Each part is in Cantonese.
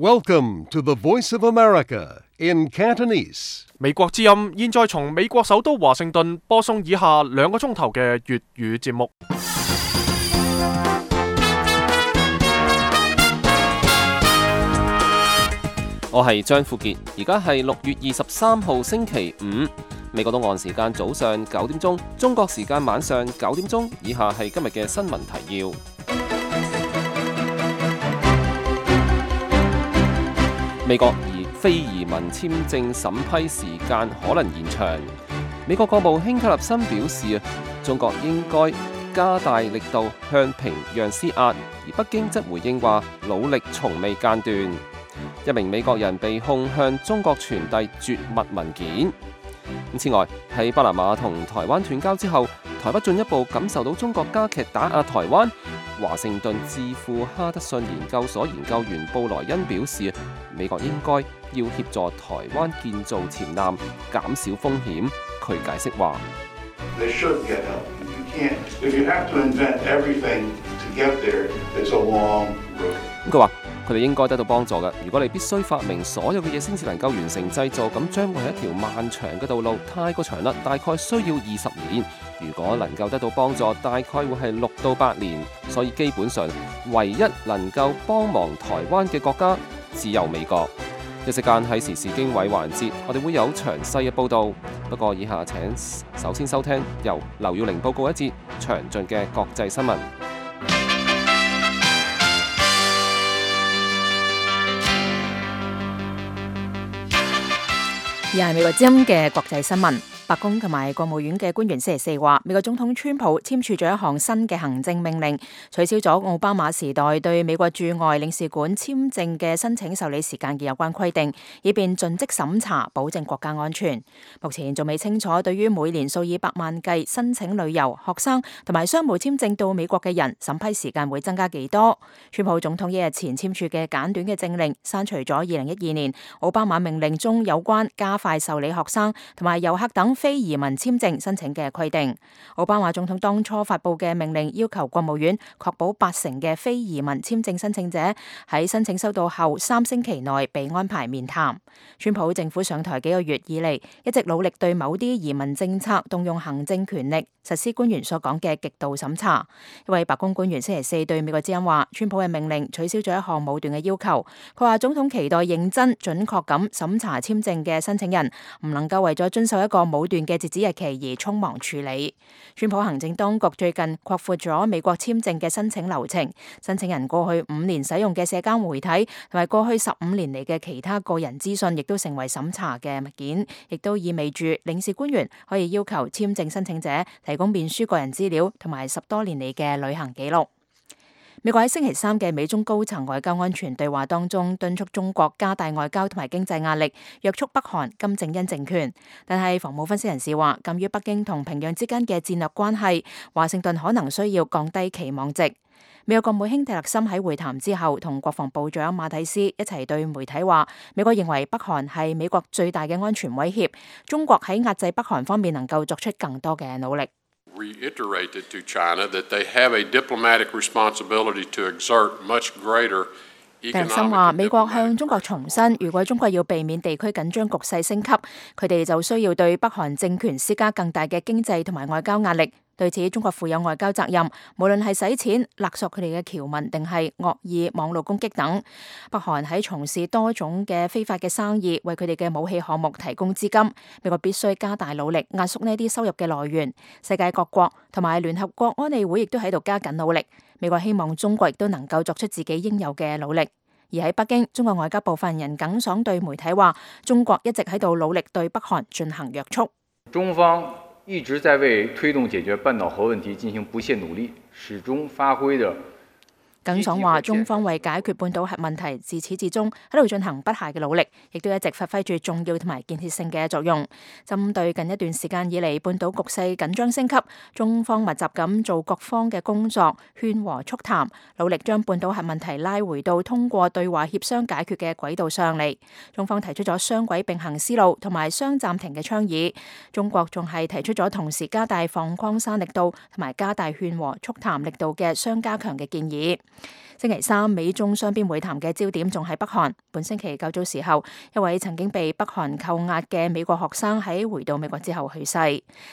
Welcome to the Voice of America in Cantonese. 美國之音現在從美國首都華盛頓播送以下2個鐘頭嘅粵語節目。我係張富傑，而家係6月23號星期五，美國東岸時間早上9點鐘，中國時間晚上9點鐘。以下係今日嘅新聞提要。美國非移民簽證審批時間可能延長。美國國務卿卡立森表示，中國應該加大力度向平壤施壓，而北京則回應話努力從未間斷。一名美國人被控向中國傳遞絕密文件。此外，喺巴拿馬同台灣斷交之後，台北進一步感受到中國加劇打壓台灣。華盛頓智庫哈德遜研究所研究員布萊恩表示，美國應該要協助台灣建造潛艦，減少風險。佢解釋話：佢話佢哋應該得到幫助嘅。如果你必須發明所有嘅嘢先至能夠完成製造，咁將會係一條漫長嘅道路，太過長啦，大概需要20年。如果能夠得到幫助，大概會係6到8年。所以基本上，唯一能夠幫忙台灣嘅國家只有美國。一時間喺時事經緯環節，我哋會有詳細嘅報導。不過以下請首先收聽由劉耀玲報告一節詳盡嘅國際新聞。而係美國之音嘅國際新聞。白宮同埋國務院嘅官員星期4話，美國總統川普簽署咗一項新嘅行政命令，取消咗奧巴馬時代對美國駐外領事館簽證嘅申請受理時間嘅有關規定，以便盡職審查，保證國家安全。目前仲未清楚對於每年數以百萬計申請旅遊、學生同埋商務簽證到美國嘅人，審批時間會增加幾多。川普總統1日前簽署嘅簡短嘅政令，刪除咗2012年奧巴馬命令中有關加快受理學生同埋遊客等非移民簽證申請嘅規定。奧巴馬總統當初發布嘅命令要求國務院確保80%嘅非移民簽證申請者喺申請收到後3星期內被安排面談。川普政府上台幾個月以嚟，一直努力對某啲移民政策動用行政權力，實施官員所講嘅極度審查。一位白宮官員星期4對美國之音話，川普嘅命令取消咗一項武斷嘅要求。佢話總統期待認真準確咁審查簽證嘅申請人，唔能夠為咗遵守一個武斷嘅截止日期而匆忙處理。川普行政當局最近擴闊咗美國簽證嘅申請流程，申請人過去5年使用嘅社交媒體同埋過去15年嚟嘅其他個人資訊，亦都成為審查嘅物件，亦都意味住領事官員可以要求簽證申請者提供面書個人資料同埋10多年嚟嘅旅行記錄。美國喺星期3嘅美中高層外交安全對話當中，敦促中國加大外交同埋經濟壓力，約束北韓金正恩政權。但係防務分析人士話，鑑於北京同平壤之間嘅戰略關係，華盛頓可能需要降低期望值。美國國務卿蒂勒森喺會談之後，同國防部長馬蒂斯一齊對媒體話，美國認為北韓係美國最大嘅安全威脅，中國喺壓制北韓方面能夠作出更多嘅努力。reiterated to China that they have a diplomatic responsibility to exert much greater economic. 蒂勒森話，美國向中國重申，如果中國要避免地區緊張局勢升級，佢哋就需要對北韓政權施加更大嘅經濟同埋外交壓力。對此，中國負有外交責任，無論係使錢勒索佢哋嘅僑民，定係惡意網絡攻擊等。北韓喺從事多種嘅非法嘅生意，為佢哋嘅武器項目提供資金。美國必須加大努力壓縮呢啲收入嘅來源。世界各國同埋聯合國安理會亦都喺度加緊努力。美國希望中國亦都能夠作出自己應有嘅努力。而喺北京，中國外交部發言人耿爽對媒體話，中國一直喺度努力對北韓進行約束。中方一直在為推動解決半島核問題進行不懈努力，始終發揮着。耿爽話，中方為解決半島核問題自始至終喺度進行不懈嘅努力，亦都一直發揮住重要同埋建設性嘅作用。針對近一段時間以嚟半島局勢緊張升級，中方密集咁做各方嘅工作，勸和促談，努力將半島核問題拉回到通過對話協商解決嘅軌道上嚟。中方提出咗雙軌並行思路同埋雙暫停嘅倡議，中國仲係提出咗同時加大放礦山力度同埋加大勸和促談力度嘅雙加強嘅建議。星期三，美中雙邊會談嘅焦點仲喺北韓。本星期較早時候，一位曾經被北韓扣押嘅美國學生喺回到美國之後去世。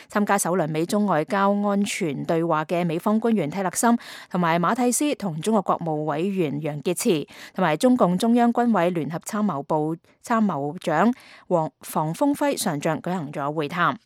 參加首輪美中外交安全對話嘅美方官員蒂勒森同埋馬蒂斯同中國國務委員楊潔篪同埋中共中央軍委聯合參謀部參謀長房峰輝上將舉行咗會談。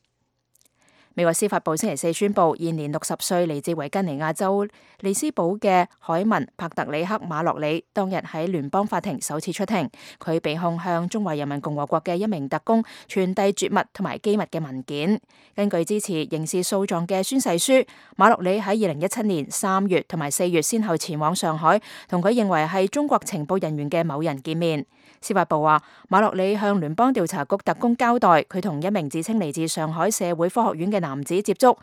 美國司法部星期四宣布，現年60歲嚟自維吉尼亞州利斯堡嘅海文帕特里克馬洛里當日喺聯邦法庭首次出庭，佢被控向中華人民共和國嘅一名特工傳遞絕密同埋機密嘅文件。根據支持刑事訴訟嘅宣誓書，馬洛里喺2017年3月同埋4月先後前往上海，同佢認為係中國情報人員嘅某人見面。司法部話，馬洛里向聯邦調查局特工交代，佢同一名自稱嚟自上海社會科學院嘅男子接觸。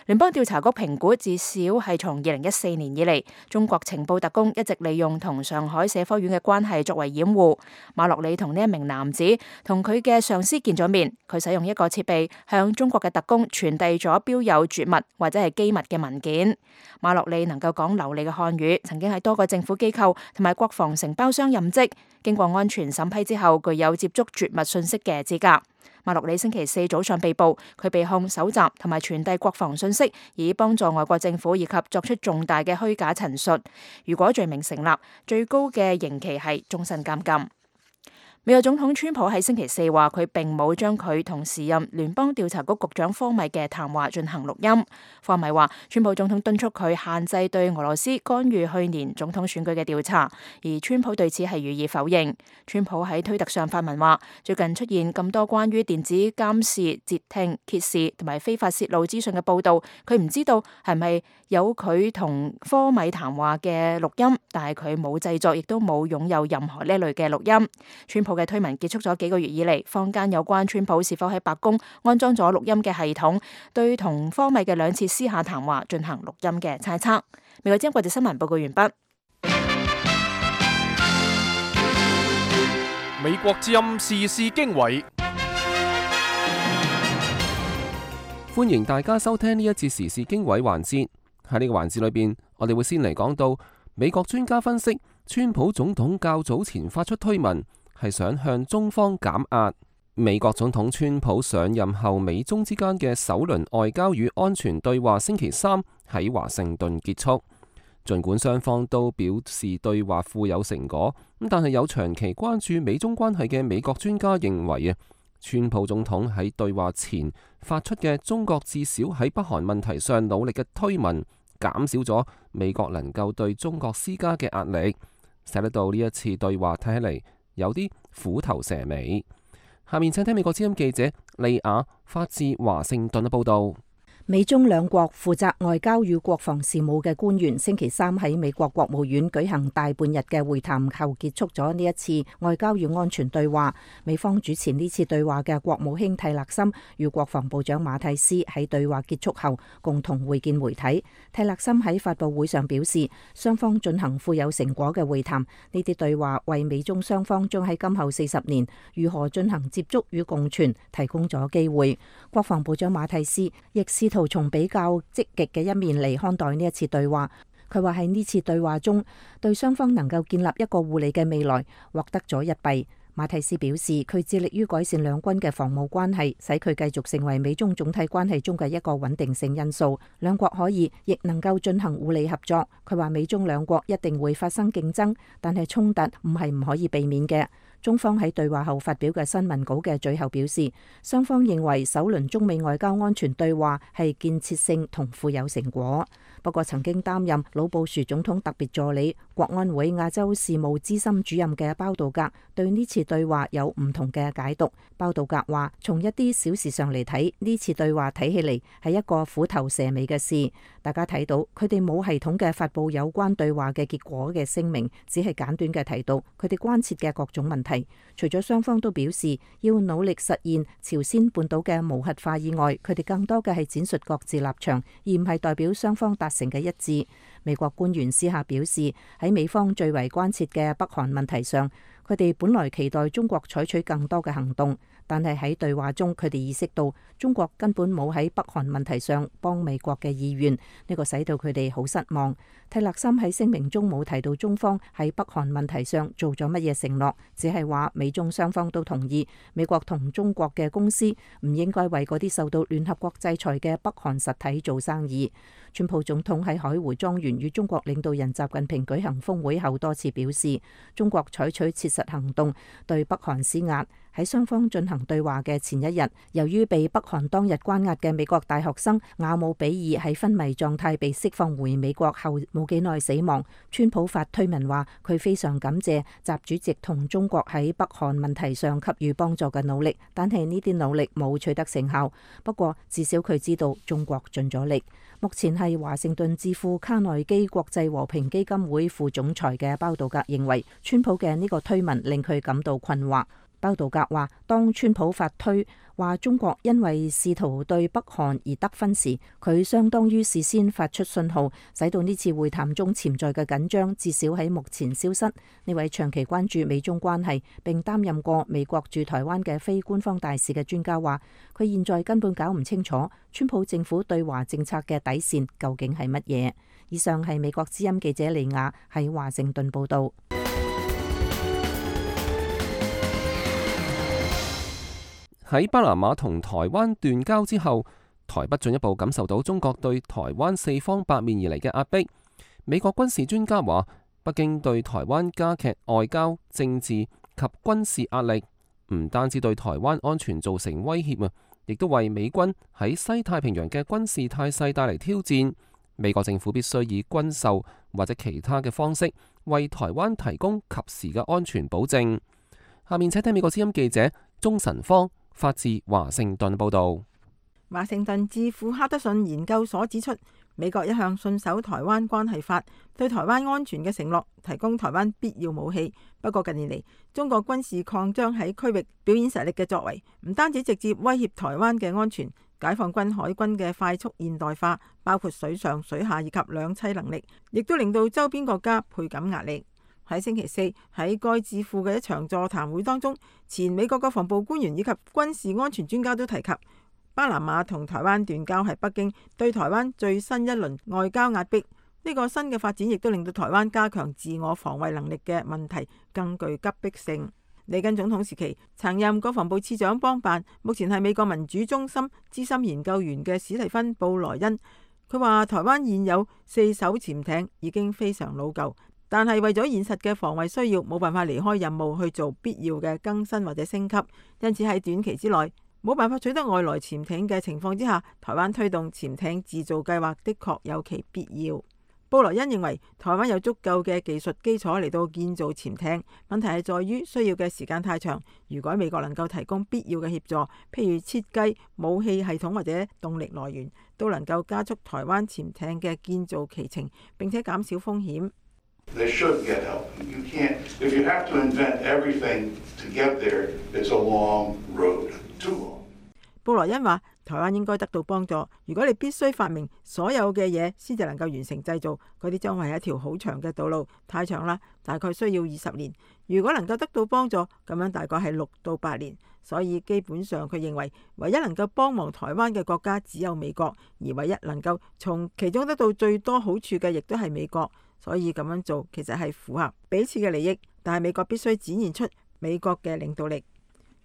聯邦調查局評估，至少係從2014年以嚟，中國情報特工一直利用同上海社科院嘅關係作為掩護。馬洛里同呢一名男子同佢嘅上司見咗面，佢使用一個設備向中國嘅特工傳遞咗標有絕密或者係機密嘅文件。馬洛里能夠講流利嘅漢語，曾經喺多個政府機構同埋國防承包商任職，經過安全審批之後，具有接觸絕密信息嘅資格。馬洛里星期四早上被捕，佢被控搜集同埋傳遞國防信息，以幫助外國政府以及作出重大嘅虛假陳述。如果罪名成立，最高嘅刑期係終身監禁。美國總統川普喺星期四話，佢並冇將佢同時任聯邦調查局局長科米嘅談話進行錄音。科米話，川普總統敦促佢限制對俄羅斯干預去年總統選舉嘅調查，而川普對此係予以否認。川普喺推特上發文話，最近出現咁多關於電子監視、截聽、揭示同埋非法泄露資訊嘅報道，佢唔知道係咪有佢同科米談話嘅錄音，但係佢冇製作，亦都冇擁有任何呢類嘅錄音。川普嘅推文結束咗幾個月以嚟，坊間有關川普是否喺白宮安裝咗錄音嘅系統，對同科米嘅2次私下談話進行錄音嘅猜測。美國之音國際新聞報告完畢。美國之音時事經緯，歡迎大家收聽呢一節時事經緯環節。喺呢個環節裏邊，我哋會先嚟講到美國專家分析，川普總統較早前發出推文，係想向中方減壓。美國總統川普上任後，美中之間嘅首輪外交與安全對話星期三喺華盛頓結束。儘管雙方都表示對話富有成果，但係有長期關注美中關係嘅美國專家認為川普總統喺對話前發出嘅中國至少喺北韓問題上努力嘅推文，減少咗美國能夠對中國施加嘅壓力，使得到呢一次對話睇起嚟有啲虎頭蛇尾。下面請聽美國之音記者利亞發自華盛頓嘅報道。美中兩國負責外交與國防事務嘅官員星期三喺美國國務院舉行大半日嘅會談後，結束咗呢一次外交與安全對話。美方主持呢次對話嘅國務卿蒂勒森與國防部長馬蒂斯喺對話結束後共同會見媒體。蒂勒森喺發佈會上表示，雙方進行富有成果嘅會談，呢啲對話為美中雙方將喺今後40年如何進行接觸與共存提供咗機會。國防部長馬蒂斯亦試圖從比較積極嘅一面嚟看待呢一次對話。佢話喺呢次對話中，對雙方能夠建立一個互利嘅未來獲得咗一弊。馬蒂斯表示，佢致力於改善兩軍嘅防務關係，使佢繼續成為美中總體關係中嘅一個穩定性因素。兩國可以亦能夠進行互利合作。佢話美中兩國一定會發生競爭，但係衝突唔係唔可以避免嘅。中方喺對話後發表嘅新聞稿嘅最後表示，雙方認為首輪中美外交安全對話係建設性同富有成果。不過曾經擔任老布殊總統特別助理、國安會亞洲事務資深主任嘅包道格對呢次對話有唔同嘅解讀。包道格話，從一啲小事上嚟睇，呢次對話睇起嚟係一個虎頭蛇尾嘅事。大家睇到佢哋冇系統嘅發佈有關對話嘅結果嘅聲明，只係簡短嘅提到佢哋關切嘅各種問題。除咗雙方都表示要努力實現朝鮮半島嘅無核化以外，佢哋更多嘅係展述各自立場，而唔係代表雙方達成嘅一致。美國官員私下表示，喺美方最為關切嘅北韓問題上，佢哋本來期待中國採取更多嘅行動，但係喺對話中，佢哋意識到中國根本冇喺北韓問題上幫美國嘅意願，呢個使到佢哋好失望。蒂勒森喺聲明中冇提到中方喺北韓問題上做咗乜嘢承諾，只係話美中雙方都同意美國同中國嘅公司唔應該為嗰啲受到聯合國制裁嘅北韓實體做生意。川普總統喺海湖莊園與中國領導人習近平舉行峰會後多次表示，中國採取切實行動對北韓施壓。喺雙方進行對話嘅前一日，由於被北韓當日關押嘅美國大學生瓦姆比爾喺昏迷狀態被釋放回美國後冇幾耐死亡。川普發推文話佢非常感謝習主席同中國喺北韓問題上給予幫助嘅努力，但係呢啲努力冇取得成效。不過至少佢知道中國盡咗力。目前係華盛頓智庫卡內基國際和平基金會副總裁嘅包道格認為，川普嘅呢個推文令佢感到困惑。包道格話，當川普發推話中國因為試圖對北韓而得分時，佢相當於事先發出信號，使到呢次會談中潛在嘅緊張至少喺目前消失。呢位長期關注美中關係並擔任過美國駐台灣嘅非官方大使嘅專家話，佢現在根本搞唔清楚川普政府對華政策嘅底線究竟係乜嘢。以上係美國之音記者李雅喺華盛頓報道。喺巴拿馬同台灣斷交之後，台北進一步感受到中國對台灣四方八面而嚟嘅壓迫。美國軍事專家話，北京對台灣加劇外交、政治及軍事壓力，唔單止對台灣安全造成威脅啊，亦都為美軍喺西太平洋嘅軍事態勢帶嚟挑戰。美國政府必須以軍售或者其他嘅方式，為台灣提供及時嘅安全保證。下面請聽美國之音記者鍾晨芳發自華盛頓報道。華盛頓智庫哈德遜研究所指出，美國一向信守台灣關係法對台灣安全嘅承諾，提供台灣必要武器。不過近年嚟，中國軍事擴張喺區域表演實力嘅作為，唔單止直接威脅台灣嘅安全，解放軍海軍嘅快速現代化，包括水上、水下以及兩棲能力，亦都令到周邊國家倍感壓力。喺星期四喺該智庫嘅一場座談會當中，前美國國防部官員以及軍事安全專家都提及，巴拿馬同台灣斷交係北京對台灣最新一輪外交壓迫。呢個新嘅發展亦都令到台灣加強自我防衛能力嘅問題更具急迫性。里根總統時期曾任國防部次長邦辦，目前係美國民主中心資深研究員嘅史蒂芬布萊恩，佢話台灣現有4艘潛艇已經非常老舊，但係為咗現實嘅防衛需要，冇辦法離開任務去做必要嘅更新或者升級，因此喺短期之內冇辦法取得外來潛艇嘅情況之下，台灣推動潛艇自造計劃的確有其必要。布萊恩認為台灣有足夠嘅技術基礎嚟到建造潛艇，問題係在於需要嘅時間太長。如果美國能夠提供必要嘅協助，譬如設計、武器系統或者動力來源，都能夠加速台灣潛艇嘅建造期程，並且減少風險。They should get help. You can't, if you have to invent everything to get there, it's a long road, too long. 布萊恩話：台灣應該得到幫助。如果你必須發明所有嘅嘢先至能夠完成製造，嗰啲將會係一條好長嘅道路，太長啦，大概需要20年。如果能夠得到幫助，咁樣大概係6到8年。所以基本上佢認為，唯一能夠幫忙台灣嘅國家只有美國，而唯一能夠從其中得到最多好處嘅，亦都係美國。所以咁樣做其實係符合彼此嘅利益，但係美國必須展現出美國嘅領導力。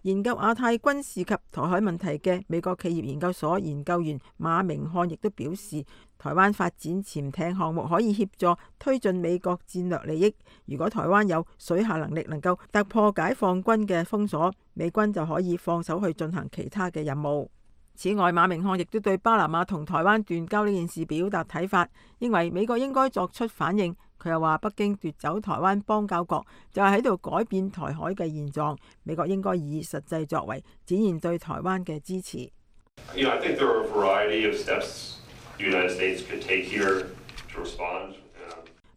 研究亞太軍事及台海問題嘅美國企業研究所研究員馬明漢亦都表示，台灣發展潛艇項目可以協助推進美國戰略利益。如果台灣有水下能力能夠突破解放軍嘅封鎖，美軍就可以放手去進行其他嘅任務。此外，馬明漢亦都對巴拿馬同台灣斷交呢件事表達睇法，認為美國應該作出反應。佢又話，北京奪走台灣邦交國就係喺度改變台海嘅現狀，美國應該以實際作為展現對台灣嘅支持。I think there are a variety of steps the United States could take here to respond.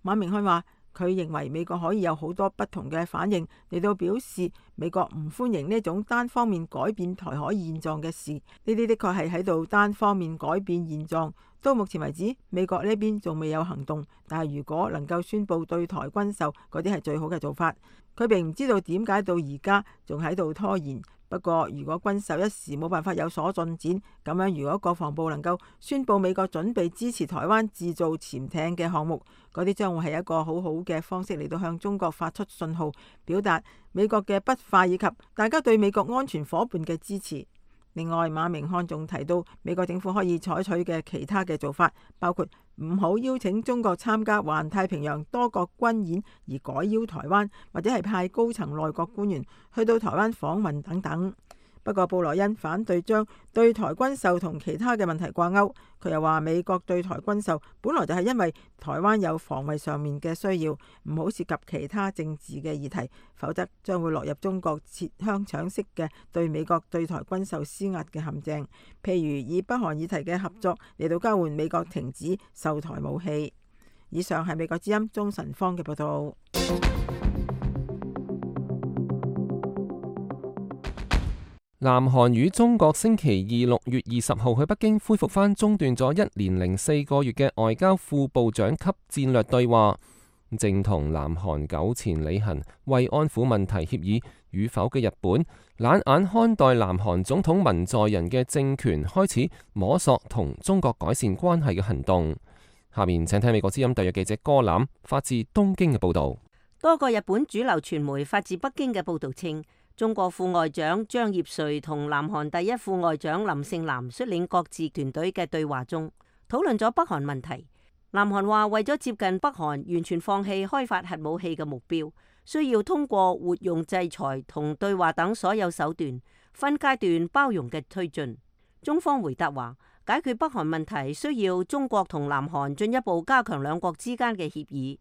馬明漢話，佢認為美國可以有好多不同嘅反應嚟到表示美國唔歡迎呢種單方面改變台海現狀嘅事。呢啲的確係喺度單方面改變現狀。到目前為止，美國呢邊仲未有行動，但係如果能夠宣布對台軍售，嗰啲係最好嘅做法。佢並唔知道點解到而家仲喺度拖延，不過，如果軍售一時冇辦法有所進展，咁樣如果國防部能夠宣布美國準備支持台灣製造潛艇嘅項目，嗰啲將會係一個好好嘅方式嚟到向中國發出信號，表達美國嘅不快以及大家對美國安全夥伴嘅支持。另外，馬明漢仲提到美國政府可以採取嘅其他嘅做法，包括唔好邀請中國參加環太平洋多國軍演，而改邀台灣，或者係派高層內閣官員去到台灣訪問等等。不過，布萊恩反對將對台軍售同其他嘅問題掛鈎。佢又話美國對台軍售本來就係因為台灣有防衛上面嘅需要，唔好涉及其他政治嘅議題，否則將會落入中國切香腸式嘅對美國對台軍售施壓嘅陷阱。譬如以北韓議題嘅合作嚟到交換美國停止售台武器。以上係美國之音鍾晨芳嘅報道。南韓與中國星期二6月20號去北京恢復翻中斷咗1年04個月嘅外交副部長級戰略對話，正同南韓糾纏履行慰安婦問題協議與否嘅日本，冷眼看待南韓總統文在寅嘅政權開始摸索同中國改善關係嘅行動。下面請聽美國之音特約記者歌欖發自東京嘅報道。多個日本主流傳媒發自北京嘅報道稱，中國副外長張業遂同南韓第一副外長林盛南率領各自團隊嘅對話中，討論咗北韓問題。南韓話為咗接近北韓完全放棄開發核武器嘅目標，需要通過活用制裁同對話等所有手段，分階段包容嘅推進。中方回答話，解決北韓問題需要中國同南韓進一步加強兩國之間嘅協議。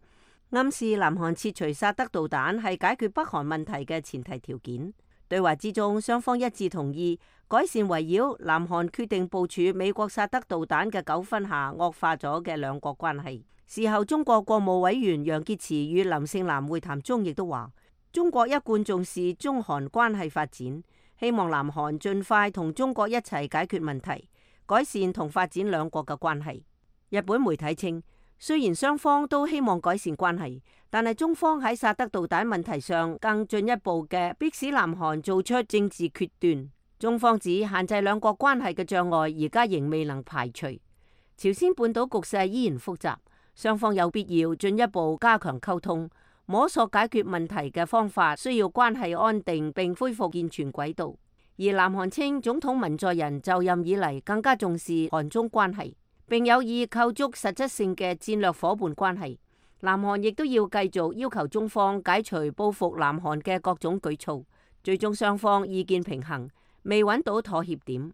暗示南韓撤除薩德導彈係解決北韓問題嘅前提條件。對話之中，雙方一致同意改善圍繞南韓決定部署美國薩德導彈嘅糾紛下惡化咗嘅兩國關係。事後，中國國務委員楊潔篪與林盛南會談中亦都話，中國一貫重視中韓關係發展，希望南韓盡快同中國一齊解決問題，改善同發展兩國嘅關係。日本媒體稱，雖然雙方都希望改善關係，但係中方喺薩德導彈問題上更進一步嘅迫使南韓做出政治決斷。中方指限制兩國關係嘅障礙而家仍未能排除。朝鮮半島局勢依然複雜，雙方有必要進一步加強溝通，摸索解決問題嘅方法，需要關係安定並恢復健全軌道。而南韓稱總統文在寅就任以嚟更加重視韓中關係，並有意構築實質性嘅戰略夥伴關係。南韓亦都要繼續要求中方解除報復南韓嘅各種舉措，最終雙方意見平衡，未揾到妥協點。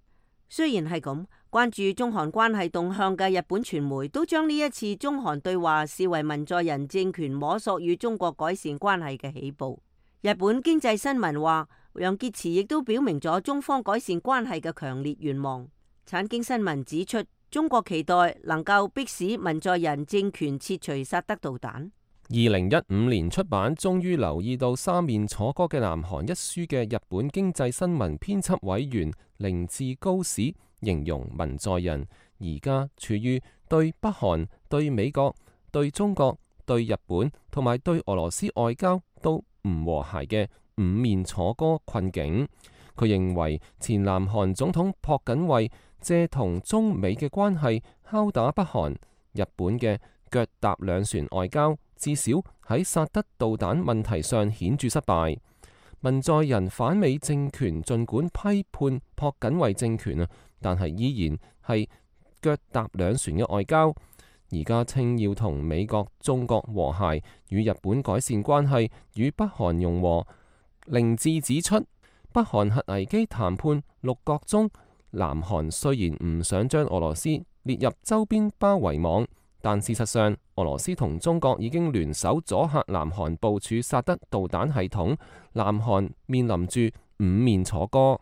雖然係咁，關注中韓關係動向嘅日本傳媒都將呢一次中韓對話視為文在寅政權摸索與中國改善關係嘅起步。日本經濟新聞話，楊潔篪亦都表明咗中方改善關係嘅強烈願望。產經新聞指出，中國期待能夠迫使文在寅政權撤除薩德導彈。2015年出版，終於留意到三面楚歌嘅南韓一書嘅日本經濟新聞編輯委員凌志高史形容文在寅而家處於對北韓、對美國、對中國、對日本同埋對俄羅斯外交都唔和諧嘅五面楚歌困境。佢認為前南韓總統朴槿惠借同中美嘅關係敲打北韓，日本嘅腳踏兩船外交至少喺薩德導彈問題上顯著失敗。文在寅反美政權儘管批判朴槿惠政權但係依然係腳踏兩船嘅外交。而家稱要同美國、中國和諧，與日本改善關係，與北韓融和。凌志指出，北韓核危機談判六角中，南韓雖然唔想將俄羅斯列入周邊包圍網，但事實上俄羅斯同中國已經聯手阻嚇南韓部署薩德導彈系統，南韓面臨住五面楚歌。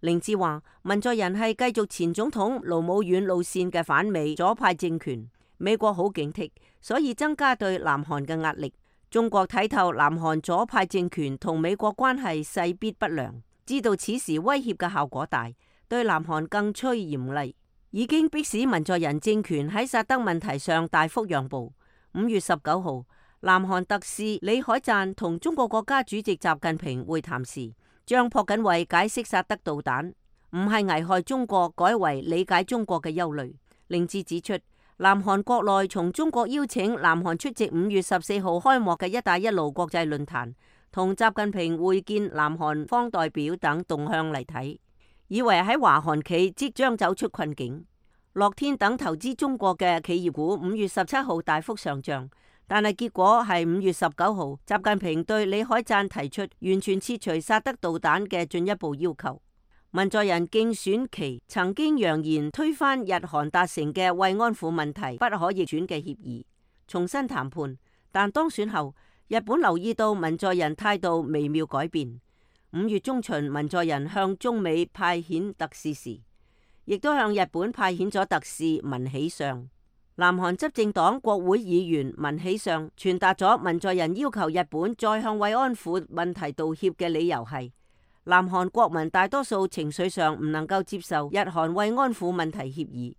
凌志話，文在寅係繼續前總統盧武鉉路線嘅反美左派政權，美國好警惕，所以增加對南韓嘅壓力。中國睇透南韓左派政權同美國關係勢必不良，知道此時威脅嘅效果大，對南韓更趨嚴厲，已經迫使文在寅政權喺薩德問題上大幅讓步。5月19號，南韓特使李海贊同中國國家主席習近平會談時，將朴槿惠解釋薩德導彈唔係危害中國，改為理解中國嘅憂慮。令志指出，南韓國內從中國邀請南韓出席5月14號開幕嘅一帶一路國際論壇，同習近平會見南韓方代表等動向嚟睇，以為喺華韓企即將走出困境。樂天等投資中國嘅企業股5月17號大幅上漲，但係結果係5月19號，習近平對李海贊提出完全撤除薩德導彈嘅進一步要求。文在寅競選期曾經揚言推翻日韓達成嘅慰安婦問題不可逆轉嘅協議，重新談判。但當選後，日本留意到文在寅態度微妙改變。5月中旬，文在寅向中美派遣特使時，亦都向日本派遣咗特使文喜相。南韓執政黨國會議員文喜相傳達咗文在寅要求日本再向慰安婦問題道歉嘅理由係，南韓國民大多數情緒上唔能夠接受日韓慰安婦問題協議。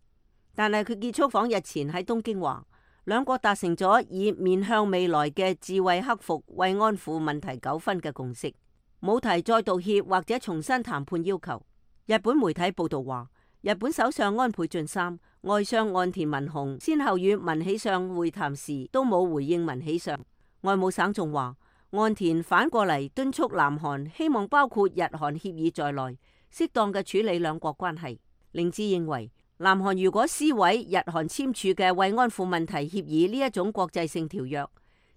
但係佢結束訪日前喺東京話，兩國達成咗以面向未來嘅智慧克服慰安婦問題糾紛嘅共識，冇提再道歉或者重新談判要求。日本媒體報道話，日本首相安倍晉三、外相岸田文雄先後與文喜相會談時都冇回應文喜相。外務省仲話，岸田反過嚟敦促南韓希望包括日韓協議在內，適當嘅處理兩國關係。令志認為，南韓如果撕毀日韓簽署嘅慰安婦問題協議呢一種國際性條約，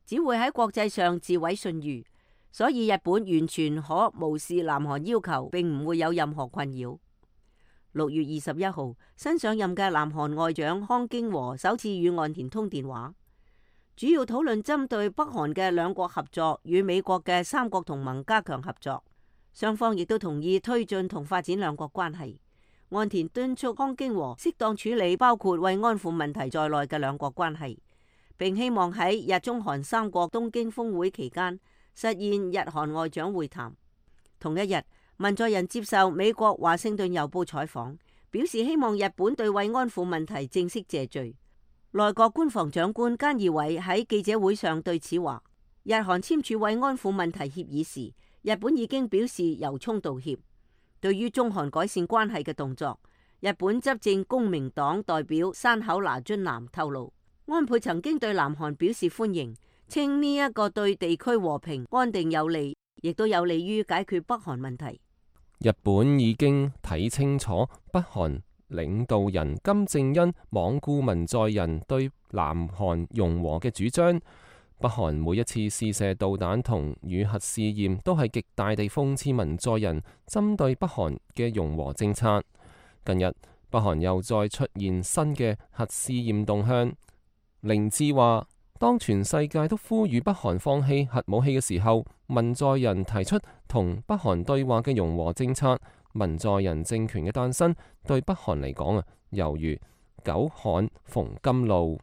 只會喺國際上自毀信譽。所以日本完全可無視南韓要求，並唔會有任何困擾。6月21號，新上任嘅南韓外長康京和首次與岸田通電話，主要討論針對北韓嘅兩國合作與美國嘅三國同盟加強合作。雙方亦都同意推進同發展兩國關係。岸田敦促康京和適當處理包括慰安婦問題在內嘅兩國關係，並希望喺日中韓三國東京峰會期間實現日韓外長會談。同一日，文在寅接受美國華盛頓郵報採訪，表示希望日本對慰安婦問題正式謝罪。內閣官房長官菅義偉喺記者會上對此話，日韓簽署慰安婦問題協議時，日本已經表示由衷道歉。對於中韓改善關係嘅動作，日本執政公明黨代表山口那津男透露，安倍曾經對南韓表示歡迎，稱呢一個對地區和平安定有利，亦都有利於解決北韓問題。日本已經睇清楚北韓領導人金正恩罔顧文在寅對南韓融和嘅主張。北韓每一次試射導彈同與核試驗，都係極大地諷刺文在寅針對北韓嘅融和政策。近日，北韓又再出現新嘅核試驗動向。令志話，當全世界都呼籲北韓放棄核武器嘅時候，文在寅提出同北韓對話嘅融和政策。文在寅政權嘅誕生對北韓嚟講猶如久旱逢甘露。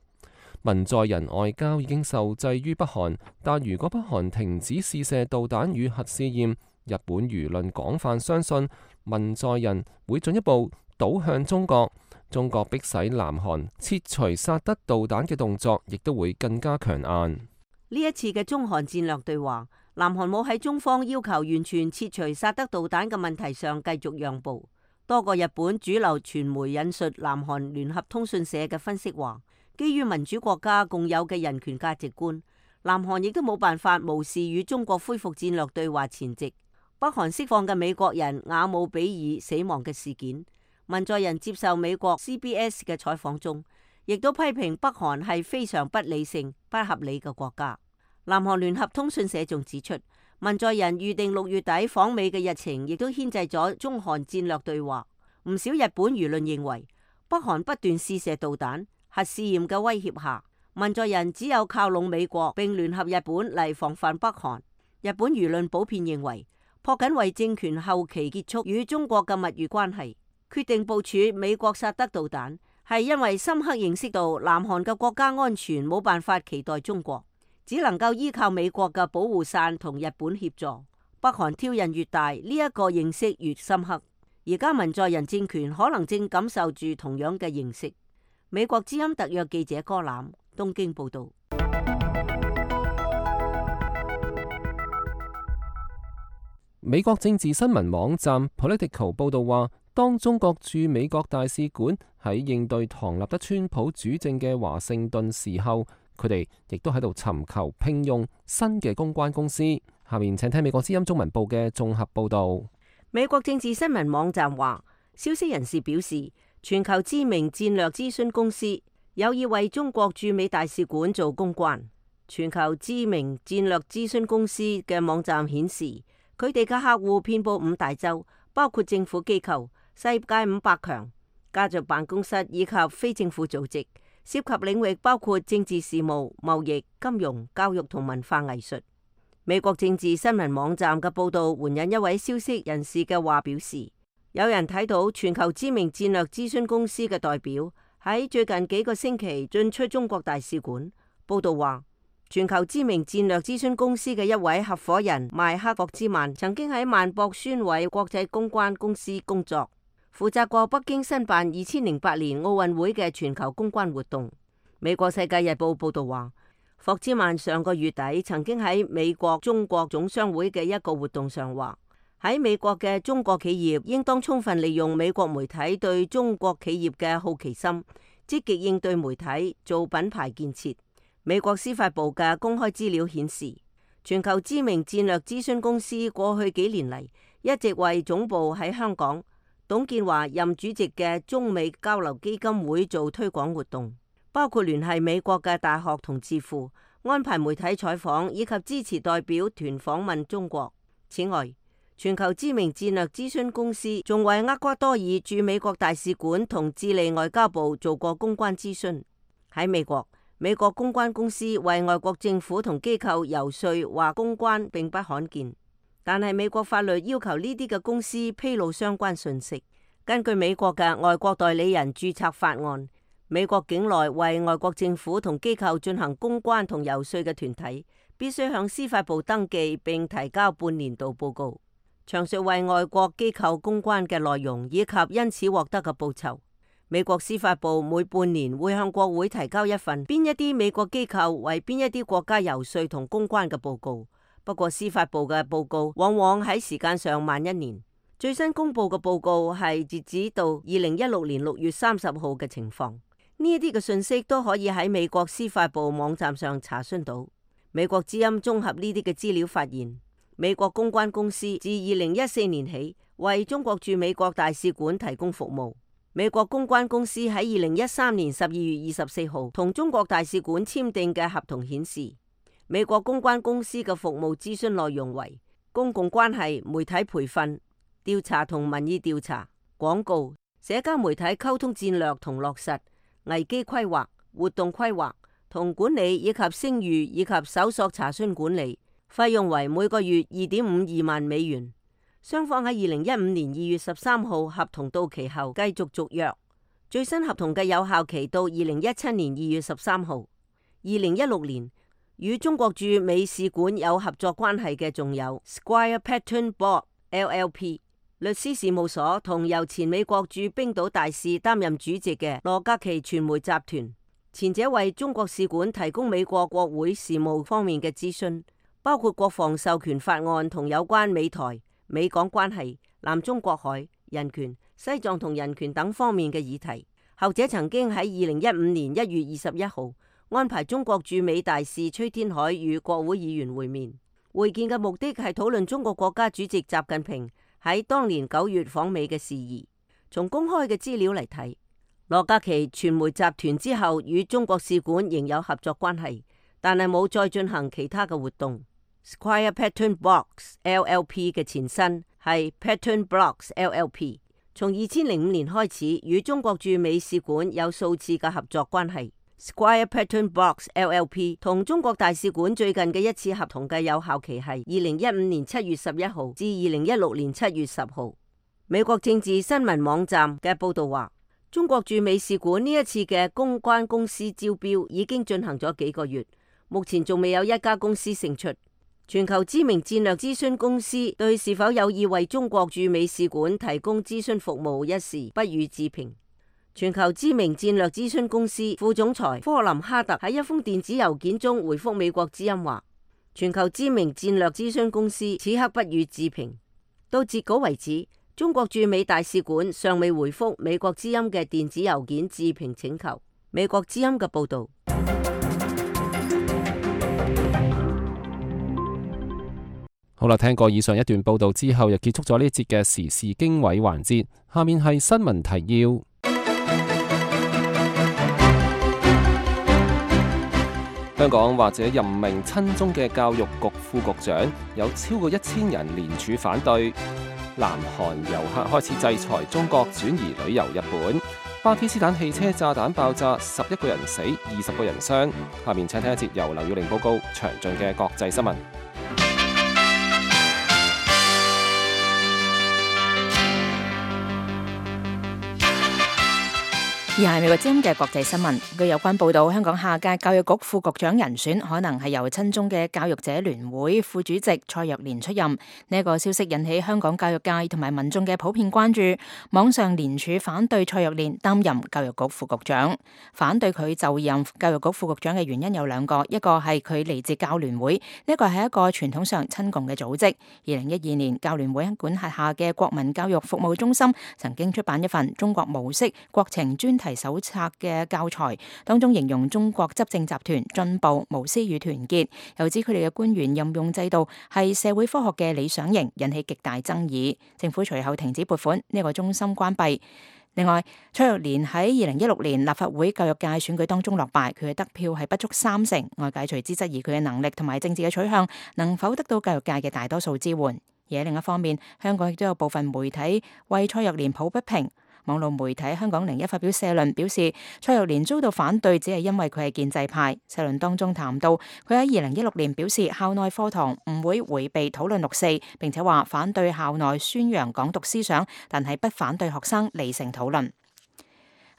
文在寅外交已經受制於北韓，但如果北韓停止試射導彈與核試驗，日本輿論廣泛相信文在寅會進一步倒向中國。中國迫使南韓撤除薩德導彈嘅動作，亦都會更加強硬。呢一次嘅中韓戰略對話，南韓冇喺中方要求完全撤除薩德導彈嘅問題上繼續讓步。多個日本主流傳媒引述南韓聯合通訊社嘅分析話，基於民主國家共有嘅人權價值觀，南韓亦都冇辦法無視與中國恢復戰略對話前夕北韓釋放嘅美國人瓦姆比爾死亡嘅事件。文在寅接受美國 CBS 嘅採訪中，亦都批評北韓係非常不理性、不合理嘅國家。南韓聯合通訊社仲指出，文在寅預定6月底訪美嘅日程，亦都牽制咗中韓戰略對話。唔少日本輿論認為，北韓不斷試射導彈、核試驗嘅威脅下，文在寅只有靠攏美國並聯合日本嚟防範北韓。日本輿論普遍認為，朴槿惠政權後期結束與中國嘅蜜月關係，決定部署美國薩德導彈，係因為深刻認識到南韓嘅國家安全冇辦法期待中國，只能夠依靠美國嘅保護傘同日本協助。北韓挑釁越大，呢一個認識越深刻。而家文在寅政權可能正感受住同樣嘅認識。美國之音特約記者柯攬東京報道。美國政治新聞網站 Politico 報道話，當中國駐美國大使館喺應對唐納德川普主政嘅華盛頓時候，佢哋亦都喺度尋求聘用新嘅公關公司。下面請聽美國之音中文部嘅綜合報道。美國政治新聞網站話，消息人士表示，全球知名戰略諮詢公司有意為中國駐美大使館做公關。全球知名戰略諮詢公司嘅網站顯示，佢哋嘅客戶遍佈5大洲，包括政府機構、世界500強、家族辦公室以及非政府組織，涉及領域包括政治事務、貿易、金融、教育同文化藝術。美國政治新聞網站嘅報道援引一位消息人士嘅話表示，有人睇到全球知名戰略諮詢公司嘅代表喺最近幾個星期進出中國大使館。報道話，全球知名戰略諮詢公司嘅一位合夥人邁克霍茲曼曾經喺萬博宣偉國際公關公司工作，負責過北京申辦2008年奧運會嘅全球公關活動。美國世界日報報道話，霍茲曼上個月底曾經喺美國中國總商會嘅一個活動上話，喺美國嘅中國企業應當充分利用美國媒體對中國企業嘅好奇心，積極應對媒體做品牌建設。美國司法部嘅公開資料顯示，全球知名戰略諮詢公司過去幾年嚟一直為總部喺香港、董建華任主席嘅中美交流基金會做推廣活動，包括聯繫美國嘅大學同智庫，安排媒體採訪以及支持代表團訪問中國。此外，全球知名戰略諮詢公司仲為厄瓜多爾駐美國大使館同智利外交部做過公關諮詢。喺美國，美國公關公司為外國政府同機構遊說或公關並不罕見，但係美國法律要求呢啲嘅公司披露相關信息。根據美國嘅外國代理人註冊法案，美國境內為外國政府同機構進行公關同遊說嘅團體，必須向司法部登記並提交半年度報告，詳述為外國機構公關嘅內容以及因此獲得嘅報酬。美國司法部每半年會向國會提交一份邊一啲美國機構為邊一啲國家遊說同公關嘅報告。不過司法部嘅報告往往喺時間上慢1年。最新公布嘅報告係截止到2016年6月30號嘅情況。呢一啲嘅信息都可以喺美國司法部網站上查詢到。美國之音綜合呢啲嘅資料發現，美國公關公司自2014年起為中國駐美國大使館提供服務。美國公關公司喺2013年12月24號同中國大使館簽訂嘅合同顯示，美國公關公司嘅服務諮詢內容為公共關係、媒體培訓、調查同民意調查、廣告、社交媒體溝通戰略同落實、危機規劃、活動規劃同管理以及聲譽以及搜索查詢管理，費用為每個月2.52萬美元。雙方喺2015年2月13號合同到期後繼續續約，最新合同嘅有效期到2017年2月13號。2016年與中國駐美使館有合作關係嘅仲有 Squire Patton Boggs LLP 律師事務所同由前美國駐冰島大使擔任主席嘅羅格奇傳媒集團，前者為中國使館提供美國國會事務方面嘅諮詢，包括國防授權法案同有關美台、美港關係、南中國海、人權、西藏同人權等方面嘅議題。後者曾經喺2015年1月21號安排中國駐美大使崔天凱與國會議員會面，會見嘅目的係討論中國國家主席習近平喺當年9月訪美嘅事宜。從公開嘅資料嚟睇，羅格奇傳媒集團之後與中國使館仍有合作關係，但係冇再進行其他嘅活動。Squire Patton Boggs LLP 嘅前身係 Patton Boggs LLP， 從2005年開始與中國駐美使館有數次嘅合作關係。Squire Patton Boggs LLP 同中國大使館最近嘅一次合同嘅有效期係2015年7月11號至2016年7月10號。美國政治新聞網站嘅報道話，中國駐美使館呢一次嘅公關公司招標已經進行咗幾個月，目前仲未有一家公司勝出。全球知名戰略諮詢公司對是否有意為中國駐美使館提供諮詢服務一事不予置評。全球知名戰略諮詢公司副總裁科林哈特喺一封電子郵件中回覆美國之音話，全球知名戰略諮詢公司此刻不予置評。到截稿為止，中國駐美大使館尚未回覆美國之音嘅電子郵件置評請求。美國之音嘅報導。好啦，聽過以上一段報道之後，又結束咗呢節嘅時事經緯環節。下面係新聞提要。香港或者任命親中嘅教育局副局長，有超過1000人聯署反對。南韓遊客開始制裁中國轉移旅遊日本。巴基斯坦汽車炸彈爆炸，11個人死，20個人傷。下面請聽一節由劉耀玲報告詳盡嘅國際新聞。而係美國之音嘅國際新聞，據有關報道，香港下屆教育局副局長人選可能係由親中嘅教育者聯會副主席蔡若蓮出任。呢一個消息引起香港教育界同埋民眾嘅普遍關注，網上聯署反對蔡若蓮擔任教育局副局長。反對佢就任教育局副局長嘅原因有兩個，一個係佢嚟自教聯會，呢個係一個傳統上親共嘅組織。2012年，教聯會管轄下嘅國民教育服務中心曾經出版一份中國模式國情專題手冊嘅教材，當中形容中國執政集團進步、無私與團結，又指佢哋嘅官員任用制度係社會科學嘅理想型，引起極大爭議。政府隨後停止撥款，呢個中心關閉。另外，蔡若蓮喺2016年立法會教育界選舉當中落敗，佢嘅得票係不足30%，外界隨之質疑佢嘅能力同埋政治嘅取向能否得到教育界嘅大多數支援。而喺另一方面，香港亦都有部分媒體為蔡若蓮抱不平。網絡媒體香港01發表社論，表示蔡若蓮遭到反對，只係因為佢係建制派。社論當中談到，佢喺2016年表示校內課堂唔會迴避討論6·4，並且話反對校內宣揚港獨思想，但係不反對學生理性討論。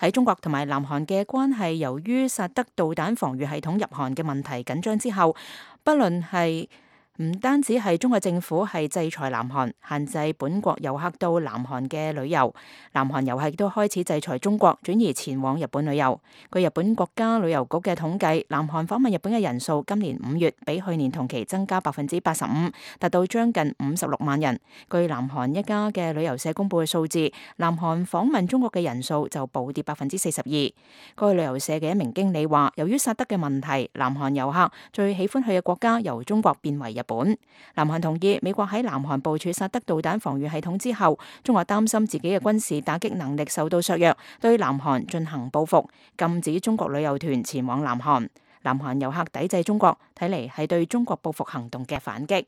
喺中國同埋南韓嘅關係，由於薩德導彈防禦系統入韓嘅問題緊張之後，不論係唔單止係中國政府係制裁南韓，限制本國遊客到南韓嘅旅遊，南韓遊客亦都開始制裁中國，轉移前往日本旅遊。據日本國家旅遊局嘅統計，南韓訪問日本嘅人數今年5月比去年同期增加85%，達到將近56萬人。據南韓一家嘅旅遊社公佈嘅數字，南韓訪問中國嘅人數就暴跌42%。該旅遊社嘅一名經理話，由於薩德嘅問題，南韓遊客最喜歡去嘅國家由中國變為日本。南韓同意美國喺南韓部署薩德導彈防禦系統之後，中國擔心自己嘅軍事打擊能力受到削弱，對南韓進行報復，禁止中國旅遊團前往南韓。南韓遊客抵制中國，睇嚟係對中國報復行動嘅反擊。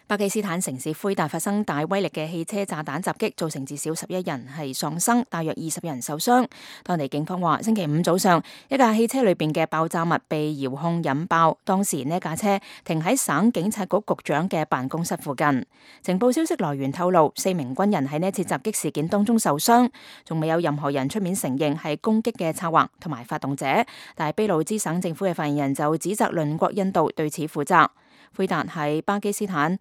巴基斯坦城市奎達發生大威力嘅汽車炸彈襲擊，造成至少11人係喪生，大約20人受傷。當地警方話，星期五早上，一架汽車裏邊嘅爆炸物被遙控引爆，當時呢架車停喺省警察局局長嘅辦公室附近。情報消息來源透露，4名軍人喺呢次襲擊事件當中受傷，仲未有任何人出面承認係攻擊嘅策劃同埋發動者，但係卑路支省政府嘅發言人就指責鄰國印度對此負責。奎達係巴基斯坦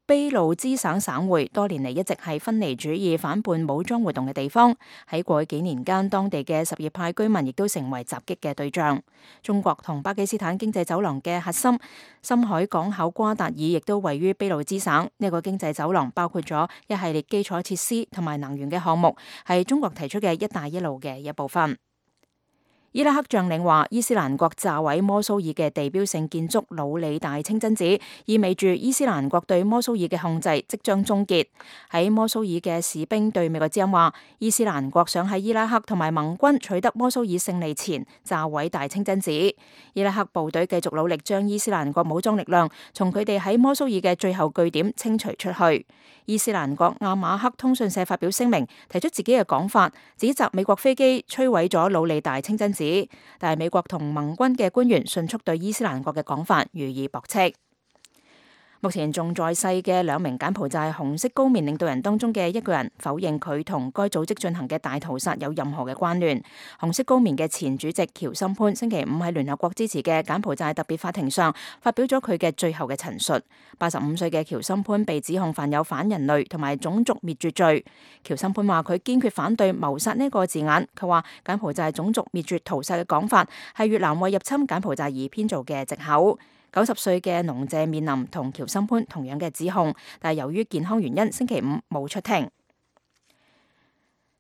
卑路支省省會，多年嚟一直係分離主義反叛武裝活動嘅地方。喺過去幾年間，當地嘅什葉派居民亦都成為襲擊嘅對象。中國同巴基斯坦經濟走廊嘅核心深海港口瓜達爾亦都位於卑路支省。呢個經濟走廊包括咗一系列基礎設施同埋能源嘅項目，係中國提出嘅一帶一路嘅一部分。伊拉克將領話，伊斯蘭國炸毀摩蘇爾嘅地標性建築魯里大清真寺，意味住伊斯蘭國對摩蘇爾嘅控制即將終結。喺摩蘇爾嘅士兵對美國之音話，伊斯蘭國想喺伊拉克同埋盟軍取得摩蘇爾勝利前炸毀大清真寺。伊拉克部隊繼續努力將伊斯蘭國武裝力量從佢哋喺摩蘇爾嘅最後據點清除出去。伊斯蘭國阿馬克通訊社發表聲明，提出自己嘅講法，指責美國飛機摧毀咗魯里大清真寺。但係美國同盟軍嘅官員迅速對伊斯蘭國嘅講法予以駁斥。目前仲在世嘅2名柬埔寨紅色高棉領導人當中嘅一個人否認佢同該組織進行嘅大屠殺有任何嘅關聯。紅色高棉嘅前主席喬森潘星期五喺聯合國支持嘅柬埔寨特別法庭上發表咗佢嘅最後嘅陳述。85歲嘅喬森潘被指控犯有反人類同埋種族滅絕罪。喬森潘話佢堅決反對謀殺呢個字眼。佢話柬埔寨種族滅絕屠殺嘅講法係越南為入侵柬埔寨而編造嘅藉口。90歲嘅農謝面臨同喬森潘同樣嘅指控，但係由於健康原因，星期五冇出庭。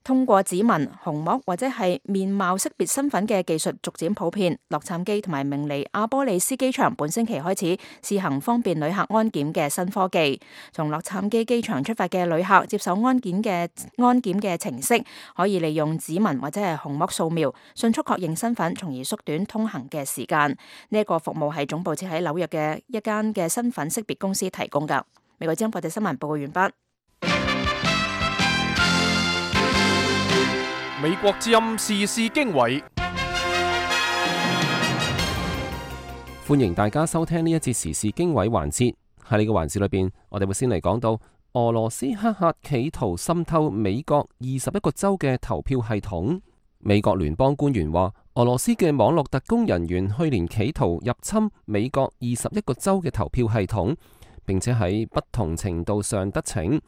通過指紋、虹膜或者係面貌識別身份嘅技術逐漸普遍，洛杉磯同埋明尼阿波利斯機場本星期開始試行方便旅客安檢嘅新科技。從洛杉磯機場出發嘅旅客接受安檢嘅程式，可以利用指紋或者係虹膜掃描，迅速確認身份，從而縮短通行嘅時間。呢一個服務係總部設喺紐約嘅一間嘅身份識別公司提供㗎。美國之音國際新聞報告完畢。美國之音時事經緯，歡迎大家收聽呢一節時事經緯環節。喺呢個環節裏邊，我哋會先嚟講到俄羅斯黑客企圖滲透美國21個州嘅投票系統。美國聯邦官員話，俄羅斯嘅網絡特工人員去年企圖入侵美國21個州嘅投票系統，並且喺不同程度上得逞。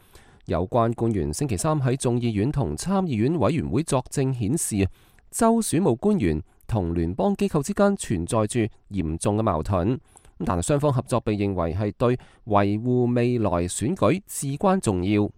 有關官員星期三喺眾議院同參議院委員會作證顯示，州選務官員同聯邦機構之間存在住嚴重嘅矛盾，但係雙方合作被認為係對維護未來選舉至關重要。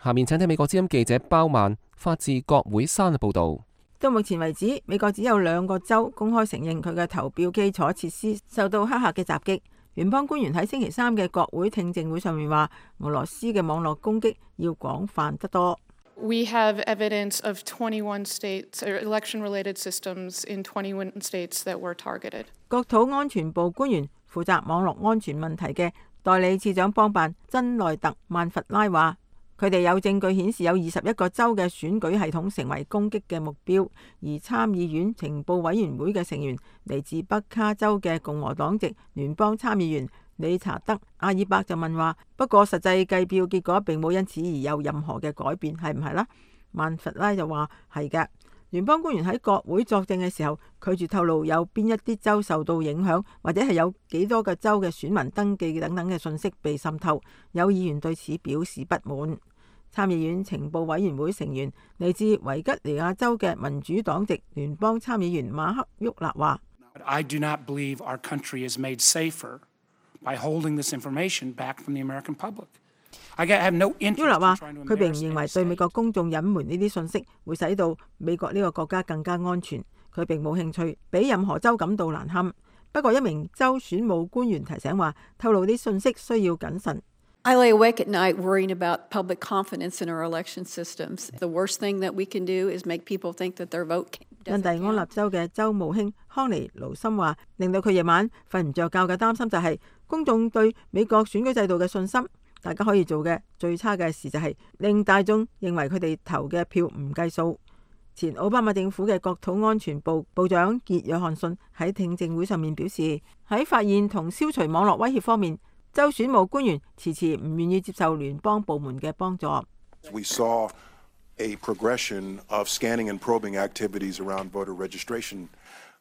下面請聽美國之音記者包曼發自國會山嘅報道。到目前為止，美國只有2個州公開承認佢嘅投票基礎設施受到黑客嘅襲擊。聯邦官員喺星期三嘅國會聽證會上面話，俄羅斯嘅網絡攻擊要廣泛得多。We have evidence of 21 states or election-related systems in 21 states that were targeted. 國土安全部官員負責網絡安全問題嘅代理次長邦辦珍內特曼弗拉話，佢哋有證據顯示有21個州嘅選舉系統成為攻擊嘅目標，而參議院情報委員會嘅成員嚟自北卡州嘅共和黨籍聯邦參議員理查德·阿爾伯就問話，不過實際計票結果並冇因此而有任何嘅改變，係唔係啦？曼弗拉就話係嘅。聯邦官員喺國會作證嘅時候，拒絕透露有邊一啲州受到影響，或者係有幾多個州嘅選民登記等等嘅信息被滲透。有議員對此表示不滿。參議院情報委員會成員嚟自維吉尼亞州嘅民主黨籍聯邦參議員馬克·沃納話：I do not believe our country is made safer by holding this information back from the American public. I have no interest in trying to embarrass。沃納話：佢並唔認為對美國公眾隱瞞呢啲信息會使到美國呢個國家更加安全。佢並冇興趣俾任何州感到難堪。不過一名州選務官員提醒話，透露啲信息需要謹慎。I lay awake at night worrying about public confidence in our election systems. The worst thing that we can do is make people think that their vote doesn't count. 印第安納州嘅州務卿康尼盧森話，令到佢夜晚瞓唔着覺嘅擔心就係公眾對美國選舉制度嘅信心。大家可以做嘅最差嘅事就係令大眾認為佢哋投嘅票唔計數。前奧巴馬政府嘅國土安全部部長傑約翰遜喺聽證會上面表示，喺發現同消除網絡威脅方面，州選務官員遲遲唔願意接受聯邦部門嘅幫助。We saw a progression of scanning and probing activities around voter registration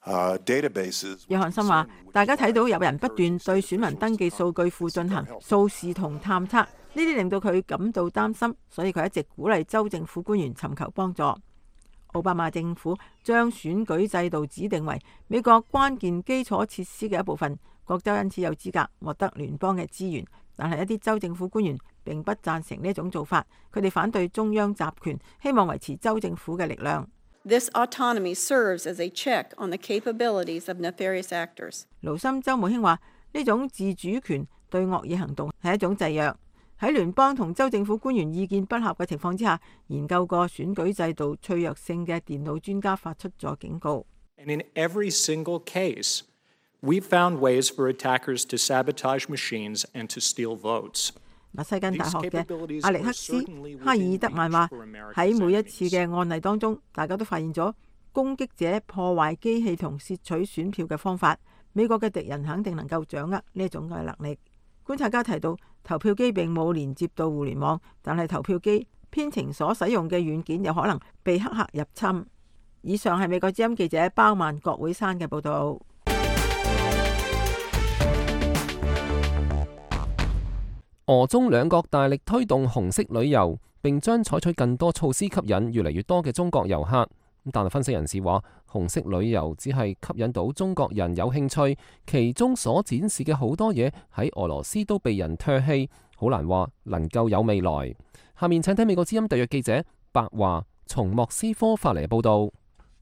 databases。約翰遜話：大家睇到有人不斷對選民登記數據庫進行掃視同探測，呢啲令到佢感到擔心，所以佢一直鼓勵州政府官員尋求幫助。奧巴馬政府將選舉制度指定為美國關鍵基礎設施嘅一部分。各州因此有資格獲得聯邦嘅資源，但係一啲州政府官員並不贊成呢種做法，佢哋反對中央集權，希望維持州政府嘅力量。This autonomy serves as a check on the capabilities of nefarious actors。盧森州務卿話：呢種自主權對惡意行動係一種制約。喺聯邦同州政府官員意見不合嘅情況之下，研究過選舉制度脆弱性嘅電腦專家發出咗警告。And in every single case, we've found ways for attackers to sabotage machines and to steal votes。密西根大學嘅阿力克斯·哈爾德曼話：喺每一次嘅案例當中，大家都發現咗攻擊者破壞機器同竊取選票嘅方法。美國嘅敵人肯定能夠掌握呢種嘅能力。觀察家提到，投票機並冇連接到互聯網，但係投票機編程所使用嘅軟件有可能被黑客入侵。以上係美國之音記者包曼郭會山嘅報導。俄中兩國大力推動紅色旅遊，並將採取更多措施吸引越嚟越多嘅中國遊客。但係分析人士話，紅色旅遊只係吸引到中國人有興趣，其中所展示嘅好多嘢喺俄羅斯都被人唾棄，好難話能夠有未來。下面請睇美國之音特約記者白華從莫斯科發嚟嘅報道。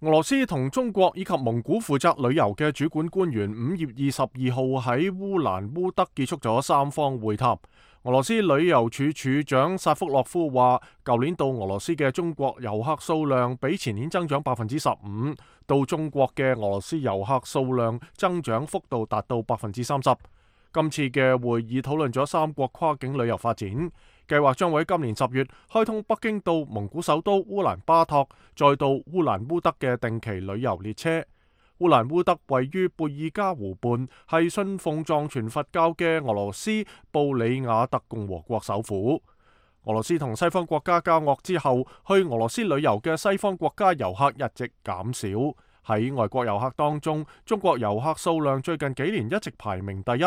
俄羅斯同中國以及蒙古負責旅遊嘅主管官員5月22號喺烏蘭烏德結束咗三方會談。俄羅斯旅遊處處長薩福洛夫話，舊年到俄羅斯嘅中國遊客數量比前年增長15%，到中國嘅俄羅斯遊客數量增長幅度達到30%。今次嘅會議討論咗三國跨境旅遊發展，計劃將會喺今年10月開通北京到蒙古首都烏蘭巴托，再到烏蘭烏德嘅定期旅遊列車。烏蘭烏德位於貝爾加湖畔，係信奉藏傳佛教嘅俄羅斯布里亞特共和國首府。俄羅斯同西方國家交惡之後，去俄羅斯旅遊嘅西方國家遊客一直減少。喺外國遊客當中，中國遊客數量最近幾年一直排名第一。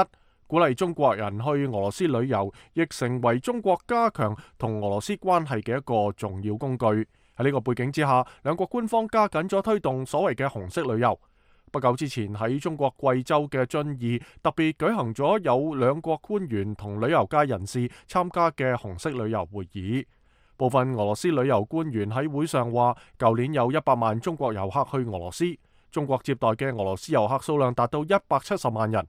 鼓勵中國人去俄羅斯旅遊，亦成為中國加強同俄羅斯關係嘅一個重要工具。喺呢個背景之下，兩國官方加緊咗推動所謂嘅紅色旅遊。不久之前喺中國貴州嘅遵義，特別舉行咗有兩國官員同旅遊界人士參加嘅紅色旅遊會議。部分俄羅斯旅遊官員喺會上話，舊年有100萬中國遊客去俄羅斯，中國接待嘅俄羅斯遊客數量達到170萬人。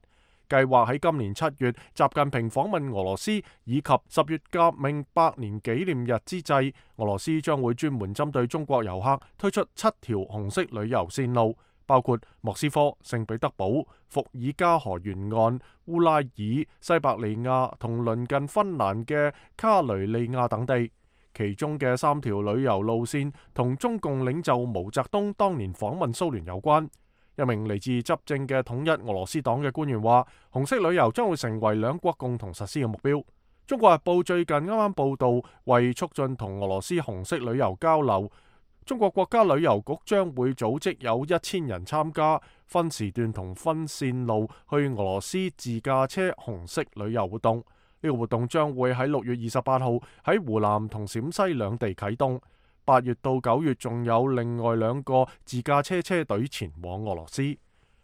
計劃喺今年7月，習近平訪問俄羅斯，以及10月革命100年紀念日之際，俄羅斯將會專門針對中國遊客推出7條紅色旅遊線路，包括莫斯科、聖彼得堡、伏爾加河沿岸、烏拉爾、西伯利亞同鄰近芬蘭嘅卡雷利亞等地。其中嘅3條旅遊路線同中共領袖毛澤東當年訪問蘇聯有關。一名嚟自執政嘅統一俄羅斯黨嘅官員話，紅色旅遊將會成為兩國共同實施嘅目標。中國日報最近啱啱報道，為促進同俄羅斯紅色旅遊交流，中國國家旅遊局將會組織有1000人參加，分時段同分線路去俄羅斯自駕車紅色旅遊活動。呢個活動將會喺6月28號喺湖南同陝西兩地啟動。8月到9月仲有另外2個自駕車隊前往俄羅斯。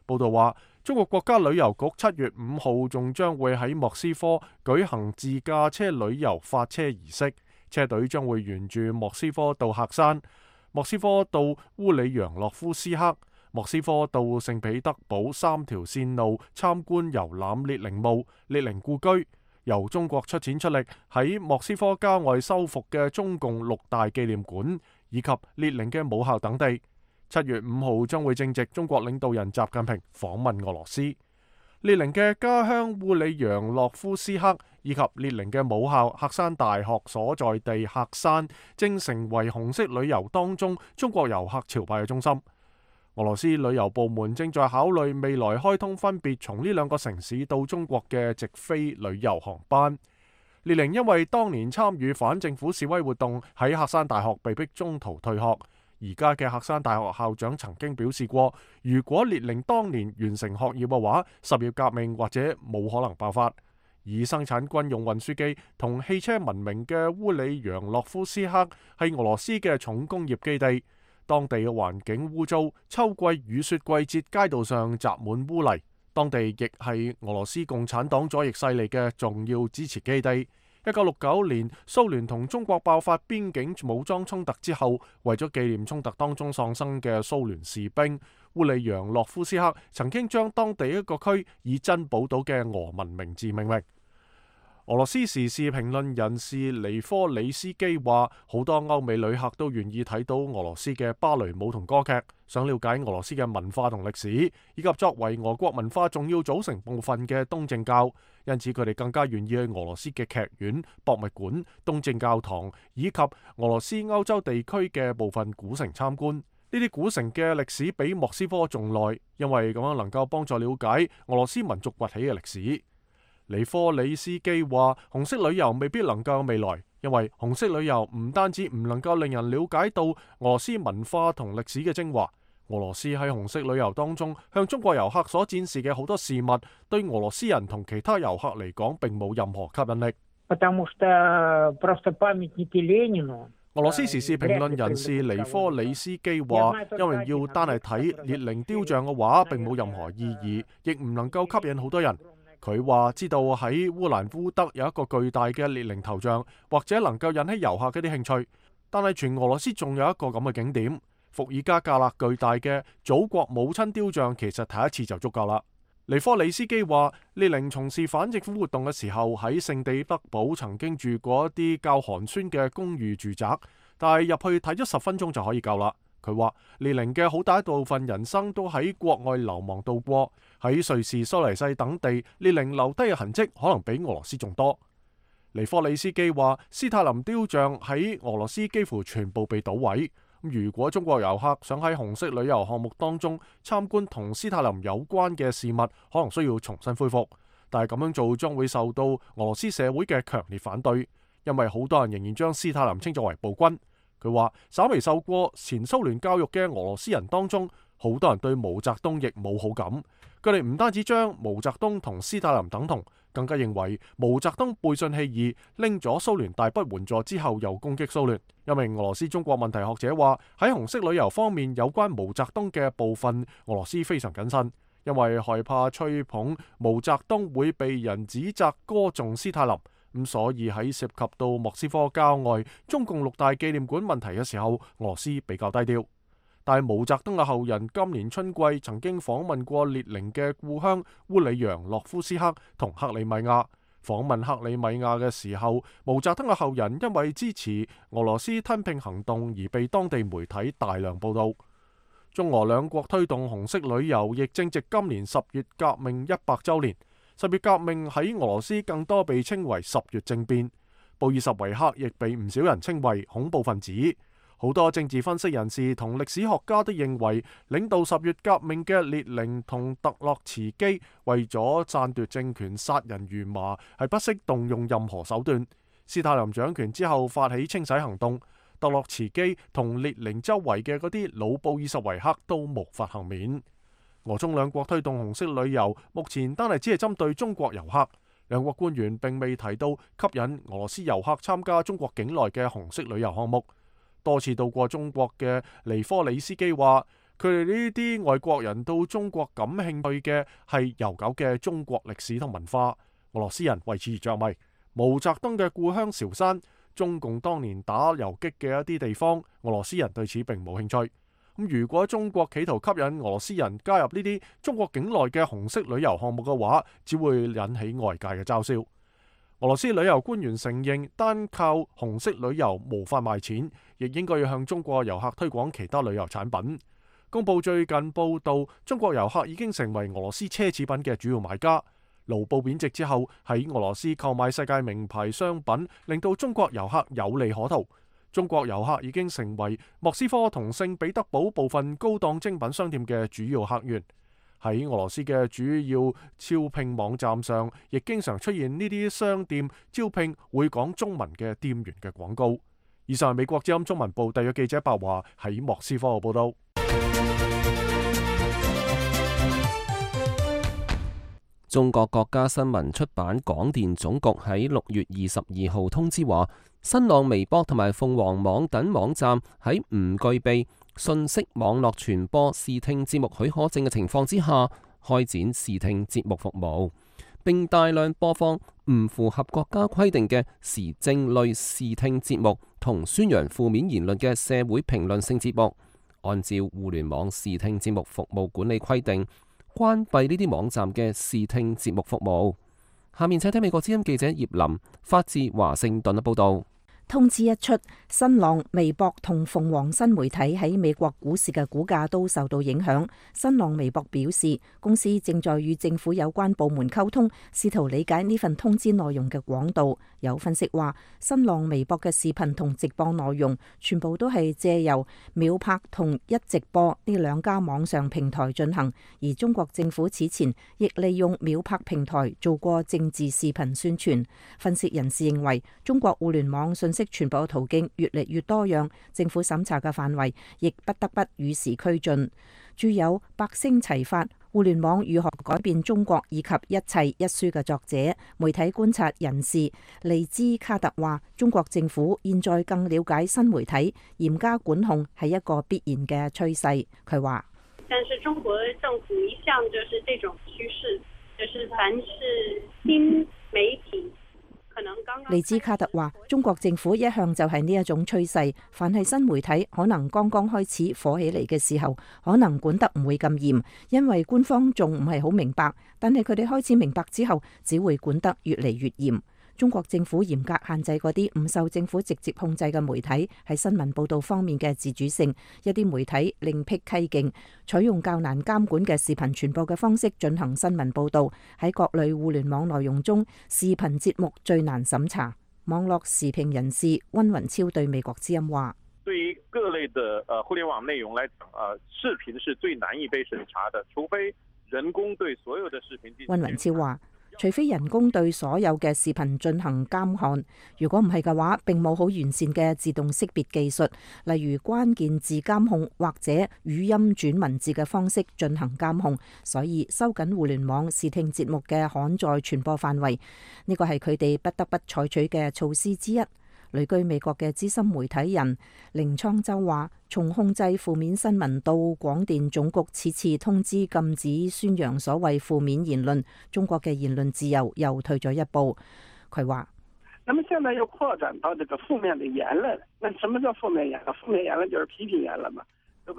報道話，中國國家旅遊局7月5號仲將會喺莫斯科舉行自駕車旅遊發車儀式，車隊將會沿住莫斯科到喀山、莫斯科到烏里揚洛夫斯克、莫斯科到聖彼得堡3條線路參觀遊覽列寧墓、列寧故居。由中國出錢出力喺莫斯科郊外修復嘅中共6大紀念館，以及列寧嘅母校等地。7月5號將會正值中國領導人習近平訪問俄羅斯。列寧嘅家鄉烏里揚洛夫斯克以及列寧嘅母校喀山大學所在地喀山，正成為紅色旅遊當中中國遊客朝拜嘅中心。俄羅斯旅遊部門正在考慮未來開通分別從呢2個城市到中國嘅直飛旅遊航班。列寧因為當年參與反政府示威活動，喺喀山大學被迫中途退學。而家嘅喀山大學校長曾經表示過，如果列寧當年完成學業嘅話，10月革命或者冇可能爆發。以生產軍用運輸機同汽車聞名嘅烏里揚洛夫斯克係俄羅斯嘅重工業基地。當地嘅環境污糟，秋季雨雪季節街道上積滿污泥。當地亦係俄羅斯共產黨左翼勢力嘅重要支持基地。1969年蘇聯同中國爆發邊境武裝衝突之後，為咗紀念衝突當中喪生嘅蘇聯士兵，烏里揚洛夫斯克曾經將當地一個區以珍寶島嘅俄文名字命名。俄羅斯時事評論人士尼科里斯基話，好多歐美旅客都願意睇到俄羅斯嘅芭蕾舞同歌劇，想了解俄羅斯嘅文化同歷史，以及作為俄國文化重要組成部分嘅東正教，因此佢哋更加願意去俄羅斯嘅劇院、博物館、東正教堂以及俄羅斯歐洲地區嘅部分古城參觀。呢啲古城嘅歷史比莫斯科仲耐，因為咁樣能夠幫助了解俄羅斯民族崛起嘅歷史。尼科里斯基話，紅色旅遊未必能夠有未來，因為紅色旅遊唔單止唔能夠令人了解到俄羅斯文化同歷史嘅精華，俄羅斯喺紅色旅遊當中向中國遊客所展示嘅好多事物，對俄羅斯人同其他遊客嚟講並冇任何吸引力。俄羅斯時事評論人士尼科里斯基話，因為要單係睇列寧雕像嘅話並冇任何意義，亦唔能夠吸引好多人。佢話知道喺烏蘭烏德有一個巨大嘅列寧頭像，或者能夠引起遊客嘅啲興趣，但係全俄羅斯仲有一個咁嘅景點，伏爾加格勒巨大嘅祖國母親雕像，其實睇一次就足夠啦。尼科里斯基話，列寧從事反政府活動嘅時候喺聖彼得堡曾經住過一啲較寒酸嘅公寓住宅，但係入去睇咗10分鐘就可以夠啦。佢話列寧嘅好大一部分人生都喺國外流亡度過，喺瑞士、蘇黎世等地，列寧留低嘅痕跡可能比俄羅斯仲多。尼科里斯基話，斯泰林雕像喺俄羅斯幾乎全部被搗毀。如果中國遊客想喺紅色旅遊項目當中參觀同斯泰林有關嘅事物，可能需要重新恢復，但係咁樣做將會受到俄羅斯社會嘅強烈反對，因為好多人仍然將斯泰林稱作為暴君。佢話，稍微受過前蘇聯教育嘅俄羅斯人當中，好多人對毛澤東亦冇好感。佢哋唔單止將毛澤東同斯大林等同，更加認為毛澤東背信棄義，拎咗蘇聯大筆援助之後又攻擊蘇聯。一名俄羅斯中國問題學者話，喺紅色旅遊方面有關毛澤東嘅部分，俄羅斯非常謹慎，因為害怕吹捧毛澤東會被人指責歌頌斯大林。咁所以喺涉及到莫斯科郊外中共6大紀念館問題嘅時候，俄羅斯比較低調。但係毛澤東嘅後人今年春季曾經訪問過列寧嘅故鄉烏里揚諾夫斯克同克里米亞。訪問克里米亞嘅時候，毛澤東嘅後人因為支持俄羅斯吞併行動而被當地媒體大量報道。中俄兩國推動紅色旅遊，亦正值今年10月革命100週年。10月革命喺俄羅斯更多被稱為10月政變，布爾什維克亦被唔少人稱為恐怖分子。好多政治分析人士同歷史學家都認為，領導10月革命嘅列寧同特洛茨基為咗篡奪政權殺人如麻，係不惜動用任何手段。斯大林掌權之後發起清洗行動，特洛茨基同列寧周圍嘅嗰啲老布爾什維克都無法幸免。俄中兩國推動紅色旅遊，目前單係只係針對中國遊客。兩國官員並未提到吸引俄羅斯遊客參加中國境內嘅紅色旅遊項目。多次到過中國嘅尼科里斯基話，佢哋呢啲外國人到中國感興趣嘅係悠久嘅中國歷史同文化。俄羅斯人為此而着迷。毛澤東嘅故鄉韶山，中共當年打游擊嘅一啲地方，俄羅斯人對此並冇興趣。如果中國企圖吸引俄羅斯人加入呢啲中國境內嘅紅色旅遊項目嘅話，只會引起外界嘅嘲笑。俄羅斯旅遊官員承認，單靠紅色旅遊無法賣錢，亦應該要向中國遊客推廣其他旅遊產品。公報最近報道，中國遊客已經成為俄羅斯奢侈品嘅主要買家。盧布貶值之後，喺俄羅斯購買世界名牌商品，令到中國遊客有利可圖。中國遊客已經成為莫斯科同聖彼得堡部分高檔精品商店嘅主要客源。喺俄羅斯嘅主要招聘網站上，亦經常出現呢啲商店招聘會講中文嘅店員嘅廣告。以上係美國之音中文部特約記者白華喺莫斯科嘅報道。中國國家新聞出版廣電總局喺6月22號通知話，新浪微博同埋鳳凰網等網站喺唔具備信息網絡傳播視聽節目許可證嘅情況之下，開展視聽節目服務，並大量播放唔符合國家規定嘅時政類視聽節目同宣揚負面言論嘅社會評論性節目。按照互聯網視聽節目服務管理規定，關閉呢啲網站嘅視聽節目服務。下面請睇美國之音記者葉林發自華盛頓嘅報道。通知一出，新浪、微博同鳳凰新媒體喺美國股市嘅股價都受到影響。新浪微博表示，公司正在與政府有關部門溝通，試圖理解呢份通知內容嘅廣度。有分析話，新浪微博嘅視頻同直播內容全部都係借由秒拍同一直播呢兩家網上平台進行，而中國政府此前亦利用秒拍平台做過政治視頻宣傳。分析人士認為，中國互聯網信息傳播途徑越嚟越多樣，政府審查嘅範圍亦不得不與時俱進。著有百聲齊發，互聯網如何改變中國以及一切一書嘅作者、媒體觀察人士利茲卡特話，中國政府現在更了解新媒體，嚴加管控係一個必然嘅趨勢。佢話：但是中國政府一向就是這種趨勢，就是凡是新媒體。利茲卡特話：中國政府一向就係呢一種趨勢，凡係新媒體可能剛剛開始火起嚟嘅時候，可能管得唔會咁嚴，因為官方仲唔係好明白。但係佢哋開始明白之後，只會管得越嚟越嚴。中國政府嚴格限制嗰啲唔受政府直接控制嘅媒體喺新聞報導方面嘅自主性，一啲媒體另闢蹊徑，採用較難監管嘅視頻傳播嘅方式進行新聞報導。喺各類互聯網內容中，視頻節目最難審查。網絡時評人士溫雲超對美國之音話：對於各類的互聯網內容來講，視頻是最難以被審查的，除非人工對所有的視頻進行。溫雲超話：除非人工對所有嘅視頻進行監看，如果唔係嘅話，並冇好完善嘅自動識別技術，例如關鍵字監控或者語音轉文字嘅方式進行監控，所以收緊互聯網視聽節目嘅刊載傳播範圍，呢個係佢哋不得不採取嘅措施之一。旅居美國嘅資深媒體人凌倉洲話：從控制負面新聞到廣電總局此次通知禁止宣揚所謂負面言論，中國嘅言論自由又退咗一步。佢話：那麼現在又擴展到這個負面的言論，那什麼叫負面言論？負面言論就是批評言論嘛。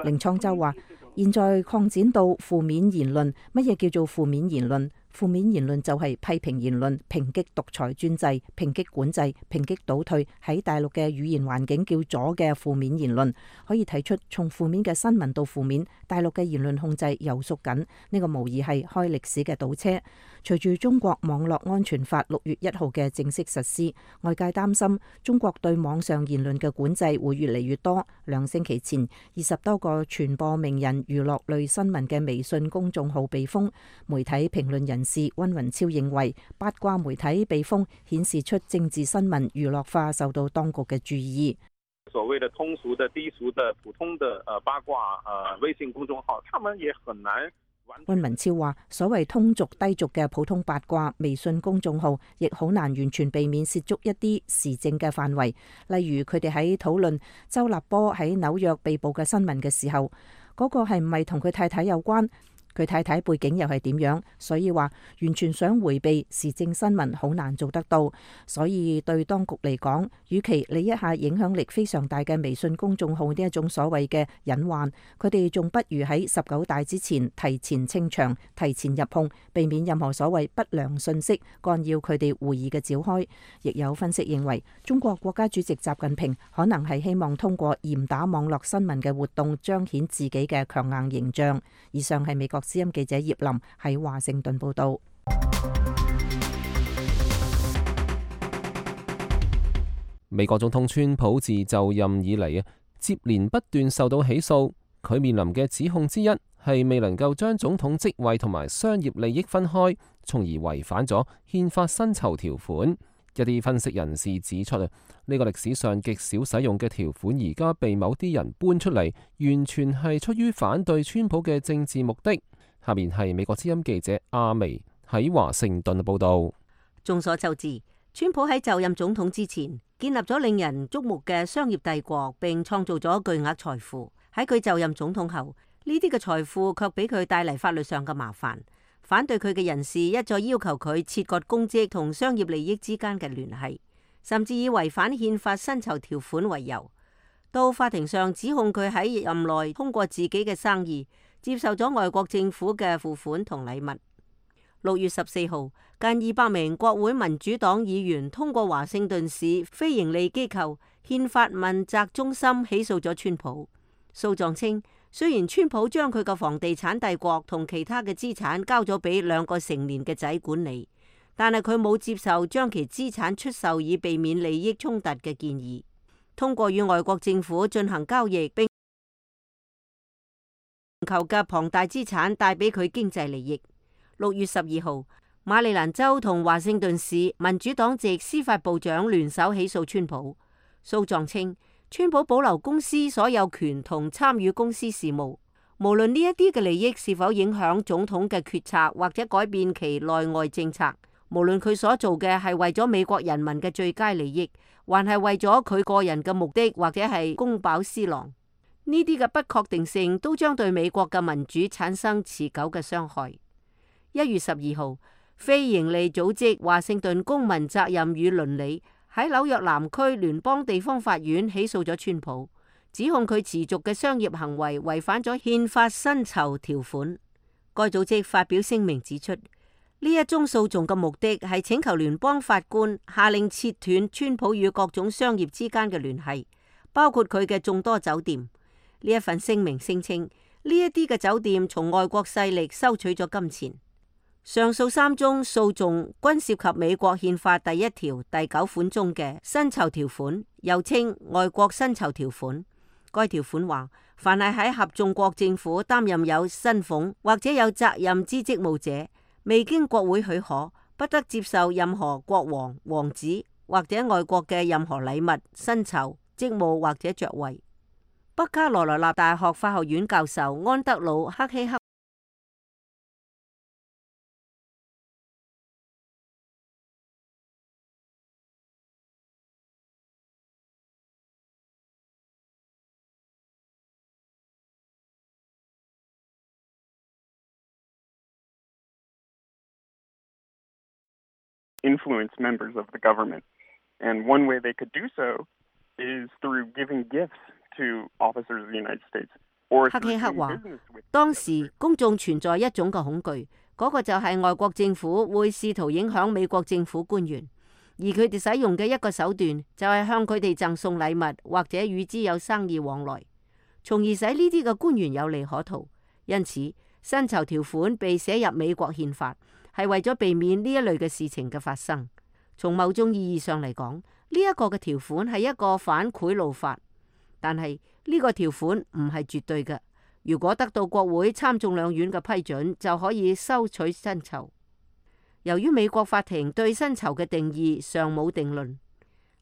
凌倉洲話：現在擴展到負面言論，乜嘢叫做負面言論？負面言論就係批評言論、抨擊獨裁專制、抨擊管制、抨擊倒退，喺大陸嘅語言環境叫左嘅負面言論。可以睇出，從負面嘅新聞到負面，大陸嘅言論控制又縮緊，呢個無疑係開歷史嘅倒車。隨住中國網絡安全法6月1號嘅正式實施，外界擔心中國對網上言論嘅管制會越嚟越多。2星期前，20多個傳播名人娛樂類新聞嘅微信公眾號被封。媒體評論人士溫雲超認為，八卦媒體被封顯示出政治新聞娛樂化受到當局嘅注意。所謂的通俗的、低俗的、普通的八卦微信公眾號，他們也很難。溫文超話：所謂通俗低俗嘅普通八卦微信公眾號，亦好難完全避免涉足一啲時政嘅範圍。例如佢哋喺討論周立波喺紐約被捕嘅新聞嘅時候，嗰個係唔係同佢太太有關？佢太太背景又係點樣？所以話完全想迴避時政新聞好難做得到。所以對當局嚟講，與其理一下影響力非常大嘅微信公眾號呢一種所謂嘅隱患，佢哋仲不如喺19大之前提前清場、提前入控，避免任何所謂不良信息干擾佢哋會議嘅召開。亦有分析認為，中國國家主席習近平可能係希望通過嚴打網絡新聞嘅活動，彰顯自己嘅強硬形象。以上係美國之音記者葉林喺華盛頓報道。美國總統川普自就任以嚟接連不斷受到起訴，佢面臨嘅指控之一係未能夠將總統職位同埋商業利益分開，從而違反咗憲法薪酬條款。一啲分析人士指出呢個歷史上極少使用嘅條款，而家被某啲人搬出嚟，完全係出於反對川普嘅政治目的。下面係美國之音記者阿薇喺華盛頓報道。眾所周知，川普喺就任總統之前，建立咗令人矚目嘅商業帝國，並創造咗巨額財富。喺佢就任總統後，呢啲嘅財富卻俾佢帶嚟法律上嘅麻煩。反對佢嘅人士一再要求佢切割公職同商業利益之間嘅聯繫，甚至以違反憲法薪酬條款為由，到法庭上指控佢喺任內通過自己嘅生意接受咗外國政府嘅付款同禮物。6月14號，近200名國會民主黨議員通過華盛頓市非營利機構憲法問責中心起訴咗川普。訴狀稱，雖然川普將佢嘅房地產帝國同其他嘅資產交咗俾2個成年嘅仔管理，但係佢冇接受將其資產出售以避免利益衝突嘅建議。通過與外國政府進行交易並求嘅龐大資產帶俾佢經濟利益。6月12號，馬里蘭州同華盛頓市民主黨籍司法部長聯手起訴川普。訴狀稱，川普保留公司所有權同參與公司事務，無論呢一啲嘅利益是否影響總統嘅決策或者改變其內外政策，無論佢所做嘅係為咗美國人民嘅最佳利益，還係為咗佢個人嘅目的，或者係公飽私囊，呢啲嘅不確定性都將對美國嘅民主產生持久嘅傷害。1月12號，非營利組織華盛頓公民責任與倫理喺紐約南區聯邦地方法院起訴咗川普，指控佢持續嘅商業行為違反咗憲法薪酬條款。該組織發表聲明指出，呢一宗訴訟嘅目的係請求聯邦法官下令切斷川普與各種商業之間嘅聯繫，包括佢嘅眾多酒店。呢一份聲明聲稱，呢一啲嘅酒店從外國勢力收取咗金錢。上述3宗訴訟均涉及美國憲法第1條第9款中嘅薪酬條款，又稱外國薪酬條款。該條款話，凡係喺合眾國政府擔任有薪俸或者有責任之職務者，未經國會許可，不得接受任何國王、王子或者外國嘅任何禮物、薪酬、職務或者爵位。北卡羅來納大學法學院教授安德魯·克希克influence members of the government. And one way they could do so is through giving gifts to officers of the United States. 克希克話，當時公眾存在一種嘅恐懼，嗰個就係外國政府會試圖影響美國政府官員，而佢哋使用嘅一個手段就係向佢哋贈送禮物或者與之有生意往來，從而使呢啲嘅官員有利可圖。因此，薪酬條款被寫入美國憲法，係為咗避免呢一類嘅事情嘅發生。從某種意義上嚟講，呢一個嘅條款係一個反賄賂法，但係呢個條款唔係絕對嘅。如果得到國會參眾兩院嘅批准，就可以收取薪酬。由於美國法庭對薪酬嘅定義尚冇定論，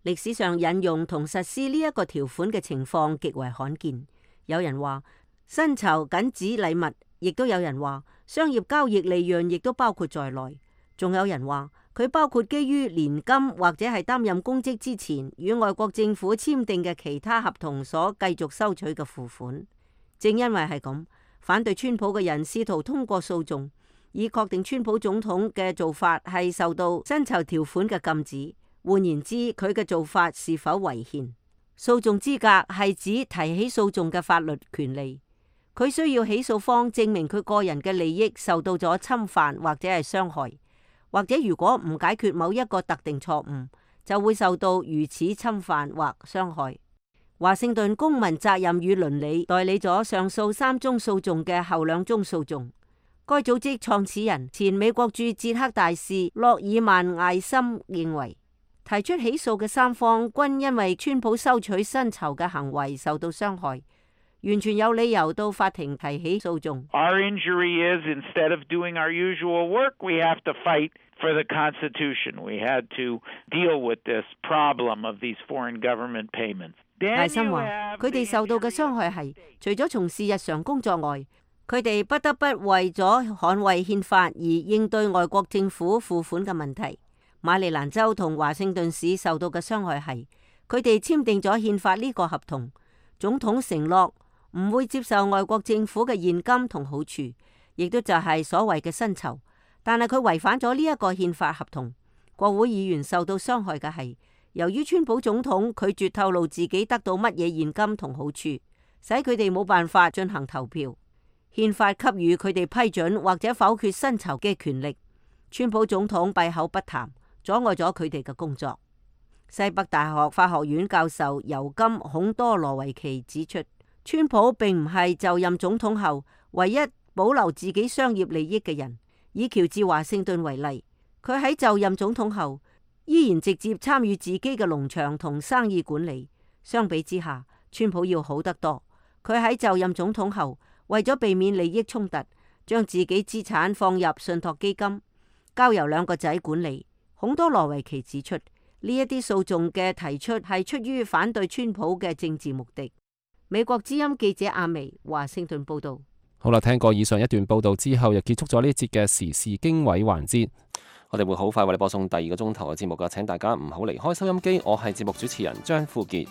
歷史上引用同實施呢一個條款嘅情況極為罕見。有人話薪酬僅指禮物，亦都有人話商業交易利潤亦都包括在內，仲有人話佢包括基於年金或者係擔任公職之前與外國政府簽訂嘅其他合同所繼續收取嘅付款。正因為係咁，反對川普嘅人試圖通過訴訟，以確定川普總統嘅做法係受到薪酬條款嘅禁止。換言之，佢嘅做法是否違憲？訴訟資格係指提起訴訟嘅法律權利。佢需要起訴方證明佢個人嘅利益受到咗侵犯或者係傷害，或者如果唔解決某一個特定錯誤，就會受到如此侵犯或傷害。華盛頓公民責任與倫理代理咗上訴3宗訴訟嘅後2宗訴訟。該組織創始人前美國駐捷克大使洛爾曼艾森認為，提出起訴嘅3方均因為川普收取薪酬嘅行為受到傷害，完全有理由到法庭提起訴訟。Our injury is instead of doing our usual work, we have to fight for the Constitution. We had to deal with this problem of these foreign government payments. 艾森話：佢哋受到嘅傷害係，除咗從事日常工作外，佢哋不得不為咗捍衛憲法而應對外國政府付款嘅問題。馬里蘭州同華盛頓市受到嘅傷害係，佢哋簽訂咗憲法呢個合同，總統承諾唔會接受外國政府嘅現金同好處，亦都就係所謂嘅薪酬。但係佢違反咗呢一個憲法合同。國會議員受到傷害嘅係，由於川普總統拒絕透露自己得到乜嘢現金同好處，使佢哋冇辦法進行投票。憲法給予佢哋批准或者否決薪酬嘅權力。川普總統閉口不談，阻礙咗佢哋嘅工作。西北大學法學院教授尤金孔多羅維奇指出，川普並唔係就任總統後唯一保留自己商業利益嘅人。以喬治華盛頓為例，佢喺就任總統後依然直接參與自己嘅農場同生意管理。相比之下，川普要好得多。佢喺就任總統後，為咗避免利益衝突，將自己資產放入信託基金，交由2個仔管理。孔多羅維奇指出，呢一啲訴訟嘅提出係出於反對川普嘅政治目的。美國之音記者阿薇華盛頓報道。好啦，聽過以上一段報道之後，又結束咗呢一節嘅時事經緯環節。我哋會好快為你播送第二個鐘頭嘅節目㗎，請大家唔好離開收音機。我係節目主持人張富傑。